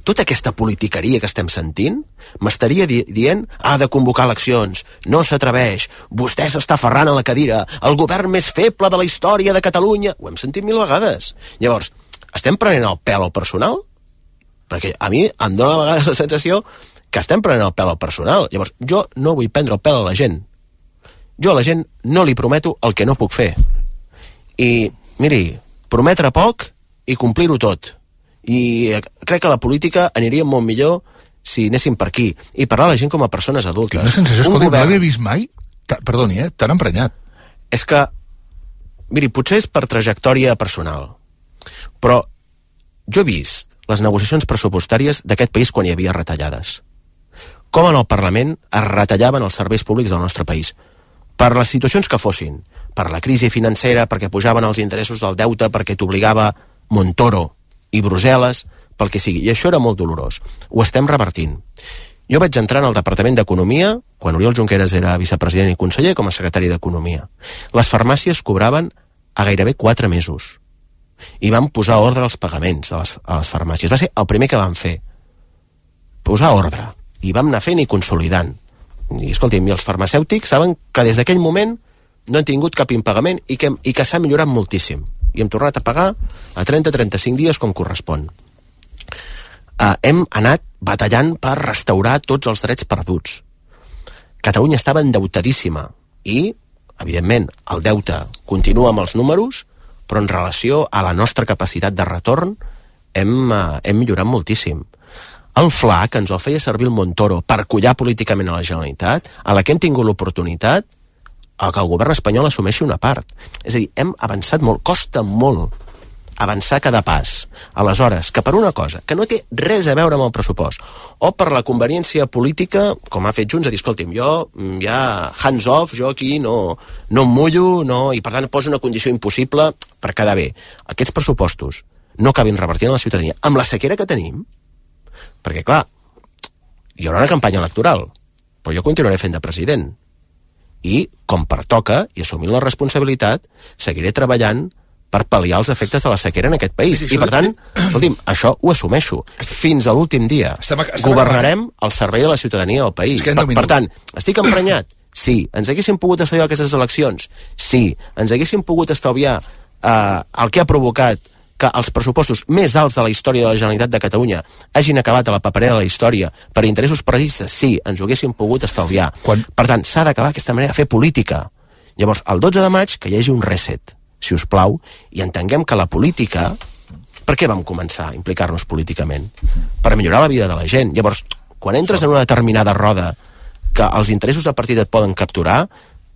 tota aquesta politiqueria que estem sentint m'estaria dient ha de convocar eleccions, no s'atreveix, vostè s'està aferrant a la cadira, el govern més feble de la història de Catalunya. Ho hem sentit 1000 vegades. Llavors, estem prenent el pèl al personal? Perquè a mi em dóna a vegades la sensació que estem prenent el pèl al personal. Llavors, jo no vull prendre el pèl a la gent. Jo a la gent no li prometo el que no puc fer. I, miri, prometre poc i complir-ho tot. I crec que la política aniria molt millor si anéssim per aquí. I parlar a la gent com a persones adultes. Quina sensació, escolta, no l'havia vist mai? Perdoni, tan emprenyat. És que, miri, potser és per trajectòria personal, però jo he vist les negociacions pressupostàries d'aquest país quan hi havia retallades. Com en el Parlament es retallaven els serveis públics del nostre país. Per les situacions que fossin. Per la crisi financera, perquè pujaven els interessos del deute, perquè t'obligava Montoro i Brussel·les, pel que sigui. I això era molt dolorós. Ho estem revertint. Jo vaig entrar en el Departament d'Economia, quan Oriol Junqueras era vicepresident i conseller, com a secretari d'Economia. Les farmàcies cobraven a gairebé 4 mesos. I vam posar ordre als pagaments a les farmàcies. Va ser el primer que vam fer. Posar ordre. I vam anar fent i consolidant. I, escolti'm, els farmacèutics saben que des d'aquell moment no han tingut cap impagament i que s'ha millorat moltíssim. I hem tornat a pagar a 30-35 dies com correspon. Hem anat batallant per restaurar tots els drets perduts. Catalunya estava endeutadíssima i, evidentment, el deute continua amb els números, però en relació a la nostra capacitat de retorn hem millorat moltíssim. El FLA, que ens el feia servir el Montoro per collar políticament a la Generalitat, a la que hem tingut l'oportunitat que el govern espanyol assumeixi una part. És a dir, hem avançat molt, costa molt avançar cada pas. Aleshores, que per una cosa que no té res a veure amb el pressupost, o per la conveniència política, com ha fet Junts, a dir, escolti'm, jo ja hands off, jo aquí no em mullo, i per tant poso una condició impossible per quedar bé. Aquests pressupostos no acabin revertint a la ciutadania amb la sequera que tenim, perquè, clar, hi haurà una campanya electoral, però jo continuaré fent de president. I, com pertoca, i assumint la responsabilitat, seguiré treballant per pal·liar els efectes de la sequera en aquest país. I, per tant, escolti'm, això ho assumeixo. Fins a l'últim dia. Governarem al servei de la ciutadania del país. Per tant, estic emprenyat? Sí. Ens haguéssim pogut estalviar aquestes eleccions? Sí. Ens haguéssim pogut estalviar el que ha provocat que els pressupostos més alts de la història de la Generalitat de Catalunya hagin acabat a la paperera de la història per interessos partidistes? Sí, ens ho haguéssim pogut estalviar. Per tant, s'ha d'acabar aquesta manera de fer política. Llavors, el 12 de maig, que hi hagi un reset, si us plau, i entenguem que la política... Per què vam començar a implicar-nos políticament? Per millorar la vida de la gent. Llavors, quan entres en una determinada roda que els interessos de partit et poden capturar,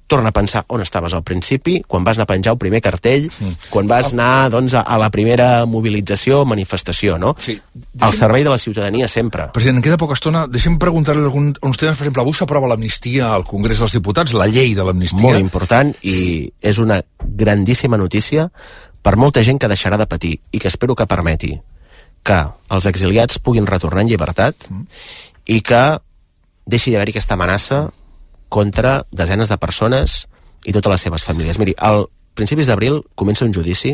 torna a pensar on estaves al principi, quan vas anar a penjar el primer cartell, quan vas anar doncs, a la primera mobilització, manifestació, no? Sí. Al servei de la ciutadania sempre. President, queda poca estona. Deixem preguntar-li uns temes. Per exemple, avui s'aprova l'amnistia al Congrés dels Diputats, la llei de l'amnistia. Molt important, i és una grandíssima notícia per molta gent que deixarà de patir i que espero que permeti que els exiliats puguin retornar en llibertat i que deixi d'haver-hi aquesta amenaça contra desenes de persones i totes les seves famílies. Miri, al principis d'abril comença un judici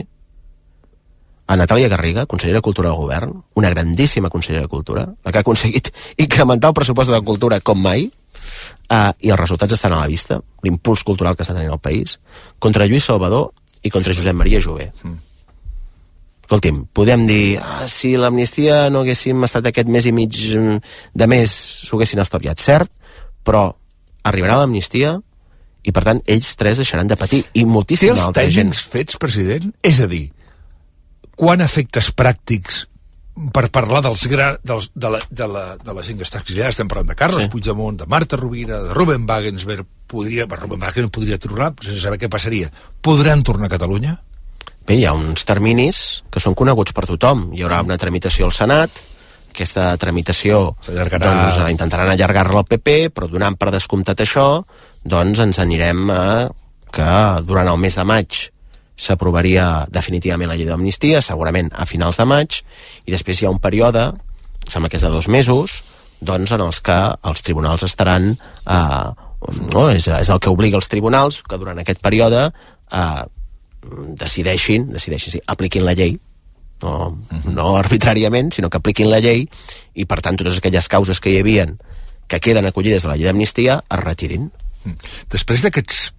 a Natàlia Garriga, consellera de Cultura del Govern, una grandíssima consellera de Cultura, la que ha aconseguit incrementar el pressupost de cultura com mai, i els resultats estan a la vista, l'impuls cultural que està tenint el país, contra Lluís Salvador i contra Josep Maria Jové. Escolti'm, podem dir, si l'amnistia no haguéssim estat aquest mes i mig de més, s'ho haguessin estalviat, cert, però arribarà l'amnistia i, per tant, ells tres deixaran de patir i moltíssima altra gent. Té els tècnics fets, president? És a dir, quan efectes pràctics per parlar de la gent que està exiliada? Estem parlant de Carles Puigdemont, de Marta Rovira, de Ruben Wagensberg. Ruben Wagensberg podria tornar, sense saber què passaria. Podran tornar a Catalunya? Bé, hi ha uns terminis que són coneguts per tothom. Hi haurà una tramitació al Senat, aquesta tramitació doncs, intentaran allargar-la al PP, però donant per descomptat això, doncs ens anirem a que durant el mes de maig s'aprovaria definitivament la llei d'amnistia, segurament a finals de maig, i després hi ha un període, sembla que és de 2 mesos, doncs en els que els tribunals estaran... és el que obliga els tribunals, que durant aquest període decideixin, apliquin la llei, no arbitràriament, sinó que apliquin la llei i, per tant, totes aquelles causes que hi havien que queden acollides a la llei d'amnistia es retirin. Després d'aquests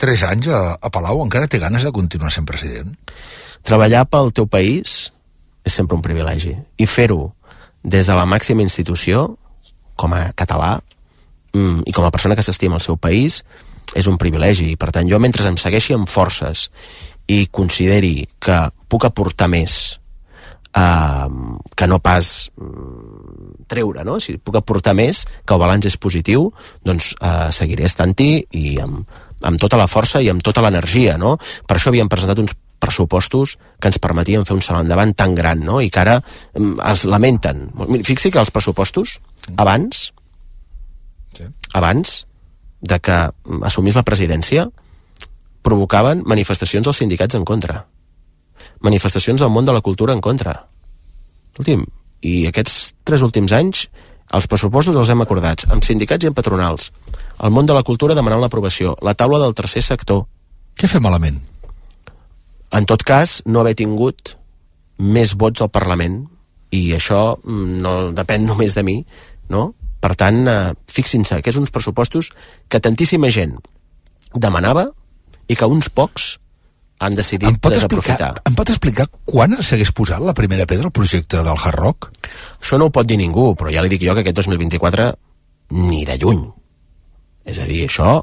3 anys a Palau, encara té ganes de continuar sent president? Treballar pel teu país és sempre un privilegi. I fer-ho des de la màxima institució, com a català, i com a persona que s'estima el seu país, és un privilegi. I, per tant, jo, mentre em segueixi amb forces i consideri que puc aportar més que no pas treure, no? Si puc aportar més, que el balanç és positiu, doncs seguiré estant-hi i amb tota la força i amb tota l'energia, no? Per això havíem presentat uns pressupostos que ens permetien fer un salt endavant tan gran, no? I que ara es lamenten. Fixi que els pressupostos, abans de que assumís la presidència, provocaven manifestacions dels sindicats en contra, manifestacions del món de la cultura en contra. Escolti'm, i aquests 3 últims anys els pressupostos els hem acordats amb sindicats i amb patronals, el món de la cultura demanant l'aprovació, la taula del tercer sector. Què fem malament? En tot cas, no haver tingut més vots al Parlament, i això no depèn només de mi, no? Per tant, fixin-se que és uns pressupostos que tantíssima gent demanava i que uns pocs han decidit desaprofitar. Em pot explicar quan s'hagués posat la primera pedra al projecte del Hard Rock? Això no ho pot dir ningú, però ja li dic jo que aquest 2024 ni de lluny. És a dir, això,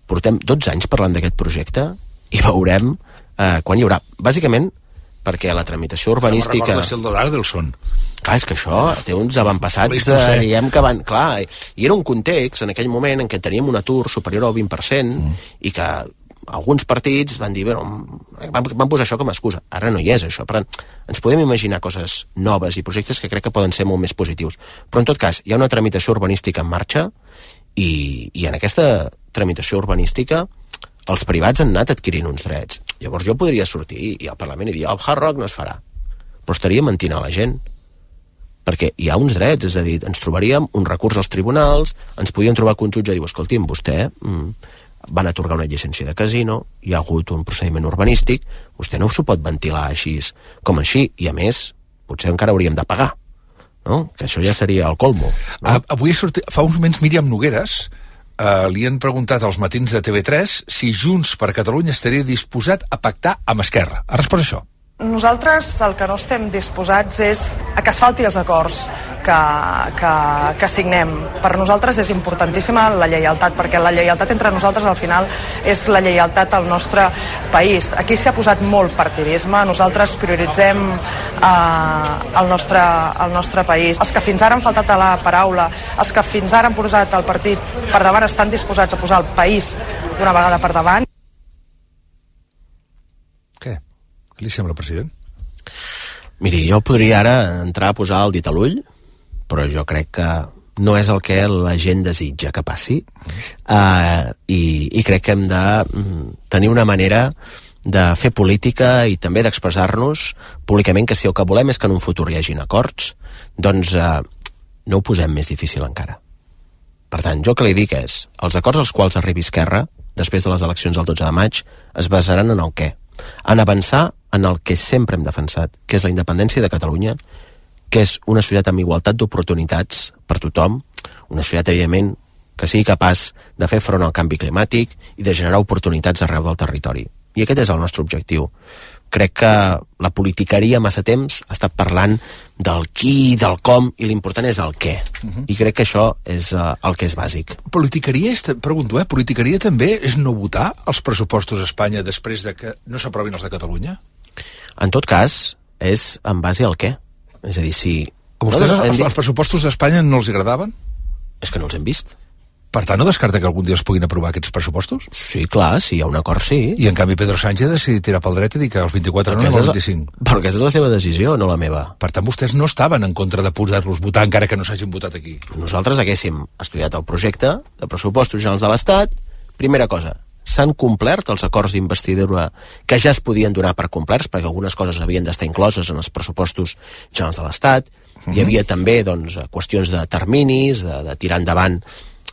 portem 12 anys parlant d'aquest projecte i veurem quan hi haurà. Bàsicament, perquè la tramitació urbanística... No recorda ser el d'Adelson. Clar, és que això té uns avantpassats, diguem que van... Clar, i era un context, en aquell moment, en què teníem un atur superior al 20%, i que alguns partits van dir, van posar això com a excusa. Ara no hi és, això. Per tant, ens podem imaginar coses noves i projectes que crec que poden ser molt més positius. Però, en tot cas, hi ha una tramitació urbanística en marxa i en aquesta tramitació urbanística els privats han anat adquirint uns drets. Llavors jo podria sortir i al Parlament i dir el Hard Rock no es farà. Però estaria mentint a la gent. perquè hi ha uns drets, és a dir, ens trobaríem un recurs als tribunals, ens podien trobar que un jutge diu, escolti'm, vostè van atorgar una llicència de casino, hi ha hagut un procediment urbanístic, vostè no s'ho pot ventilar així com així, i a més, potser encara hauríem de pagar, no? Que això ja seria el colmo. No? Avui fa uns moments Míriam Nogueres li han preguntat als matins de TV3 si Junts per Catalunya estaria disposat a pactar amb Esquerra. Ha respost això. Nosaltres el que no estem disposats és a que es falti els acords que signem. Per nosaltres és importantíssima la lleialtat, perquè la lleialtat entre nosaltres al final és la lleialtat al nostre país. Aquí s'ha posat molt partidisme, nosaltres prioritzem el nostre país. Els que fins ara han faltat a la paraula, els que fins ara han posat el partit per davant estan disposats a posar el país d'una vegada per davant. Què li sembla, president? Miri, jo podria ara entrar a posar el dit a l'ull, però jo crec que no és el que la gent desitja que passi, i crec que hem de tenir una manera de fer política i també d'expressar-nos públicament que si el que volem és que en un futur hi hagin acords, doncs no ho posem més difícil encara. Per tant, jo el que li dic és, els acords als quals arribi Esquerra, després de les eleccions del 12 de maig, es basaran en el què? En avançar en el que sempre hem defensat, que és la independència de Catalunya, que és una societat amb igualtat d'oportunitats per tothom, una societat, evidentment, que sigui capaç de fer front al canvi climàtic i de generar oportunitats arreu del territori. I aquest és el nostre objectiu. Crec que la politiqueria massa temps ha estat parlant del qui, del com, i l'important és el què. I crec que això és el que és bàsic. Politiqueria, pregunto, politiqueria també és no votar els pressupostos a Espanya després de que no s'aprovin els de Catalunya? En tot cas, és en base al què. És a dir, si... A vostès els pressupostos d'Espanya no els agradaven? És que no els hem vist. Per tant, no descarta que algun dia es puguin aprovar aquests pressupostos? Sí, clar, si hi ha un acord, sí. I en canvi Pedro Sánchez ha decidit tirar pel dret i dir que els 24 no, els 25. Però aquesta és la seva decisió, no la meva. Per tant, vostès no estaven en contra de poder-los votar encara que no s'hagin votat aquí. Nosaltres haguéssim estudiat el projecte de pressupostos generals de l'Estat. Primera cosa, s'han complert els acords d'investidura que ja es podien donar per complerts, perquè algunes coses havien d'estar incloses en els pressupostos generals de l'Estat. Hi havia també doncs, qüestions de terminis, de tirar endavant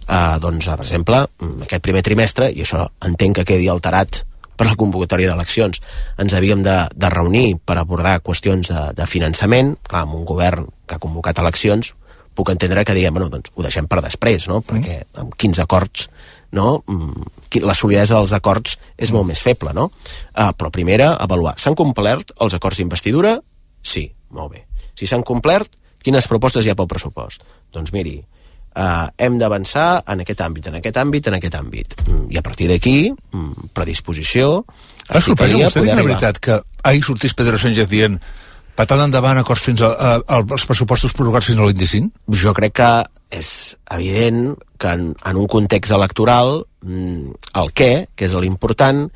doncs, per exemple, aquest primer trimestre, i això entenc que quedi alterat per la convocatòria d'eleccions, ens havíem de reunir per abordar qüestions de finançament. Clar, amb un govern que ha convocat eleccions, puc entendre que diguem, bueno, doncs ho deixem per després, no? Perquè amb 15 acords, no? La solidesa dels acords és molt més feble, no? Però primera, avaluar. S'han complert els acords d'investidura? Sí, molt bé. Si s'han complert, quines propostes hi ha pel pressupost? Doncs miri, hem d'avançar en aquest àmbit, en aquest àmbit, en aquest àmbit. I a partir d'aquí, predisposició... Ha sorprès a vostè, la veritat, que ahir sortís Pedro Sánchez dient patant endavant acords fins als pressupostos prorrogats fins al 25? Jo crec que és evident que en un context electoral el què, que és l'important,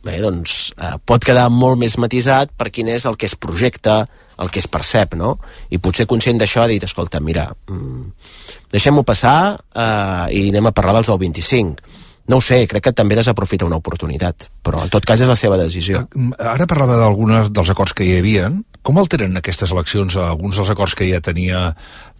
bé, doncs pot quedar molt més matisat per quin és el que es projecta, el que es percep, no? I potser conscient d'això ha dit, escolta, mira, deixem-ho passar i anem a parlar dels del 25. No ho sé, crec que també desaprofita una oportunitat, però en tot cas és la seva decisió. Ara parlava d'alguns dels acords que hi havia. Com alteren aquestes eleccions alguns dels acords que ja tenia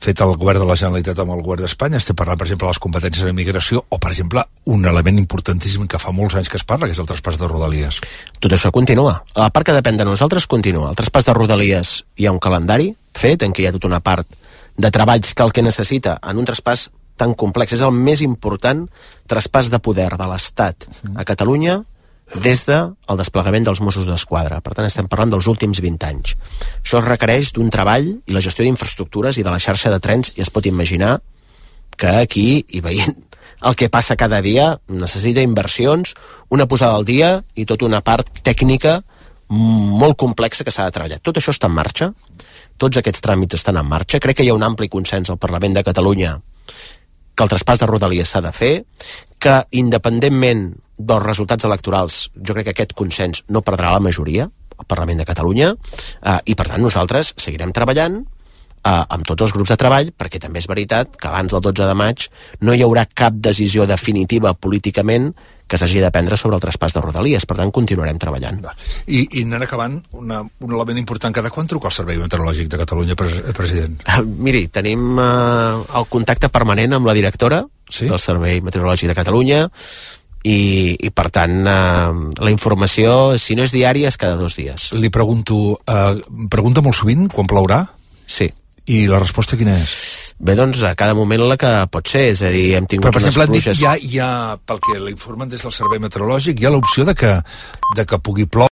fet el govern de la Generalitat amb el govern d'Espanya? Estem parlant, per exemple, de les competències en immigració o, per exemple, un element importantíssim que fa molts anys que es parla, que és el traspàs de Rodalies. Tot això continua. La part que depèn de nosaltres continua. El traspàs de Rodalies hi ha un calendari fet en què hi ha tota una part de treballs que el que necessita en un traspàs tan complex. És el més important traspàs de poder de l'Estat a Catalunya des del desplegament dels Mossos d'Esquadra. Per tant, estem parlant dels últims 20 anys. Això requereix d'un treball i la gestió d'infraestructures i de la xarxa de trens, i es pot imaginar que aquí, i veient el que passa cada dia, necessita inversions, una posada al dia i tota una part tècnica molt complexa que s'ha de treballar. Tot això està en marxa, tots aquests tràmits estan en marxa. Crec que hi ha un ampli consens al Parlament de Catalunya que el traspàs de Rodalies s'ha de fer, que independentment dels resultats electorals, jo crec que aquest consens no perdrà la majoria al Parlament de Catalunya, i per tant nosaltres seguirem treballant amb tots els grups de treball, perquè també és veritat que abans del 12 de maig no hi haurà cap decisió definitiva políticament que s'hagi de prendre sobre el traspàs de Rodalies. Per tant, continuarem treballant. I anant acabant, un element important. Cada quan truca el Servei Meteorològic de Catalunya, president? Miri, tenim el contacte permanent amb la directora del Servei Meteorològic de Catalunya i per tant, la informació, si no és diària, és cada 2 dies. Li pregunto, pregunta molt sovint quan plourà? Sí. I la resposta quina és? Bé, doncs a cada moment la que pot ser, és a dir, hem tingut però, per exemple, unes pluges... hi ha, pel que l'informen des del Servei Meteorològic, hi ha l'opció de que pugui ploure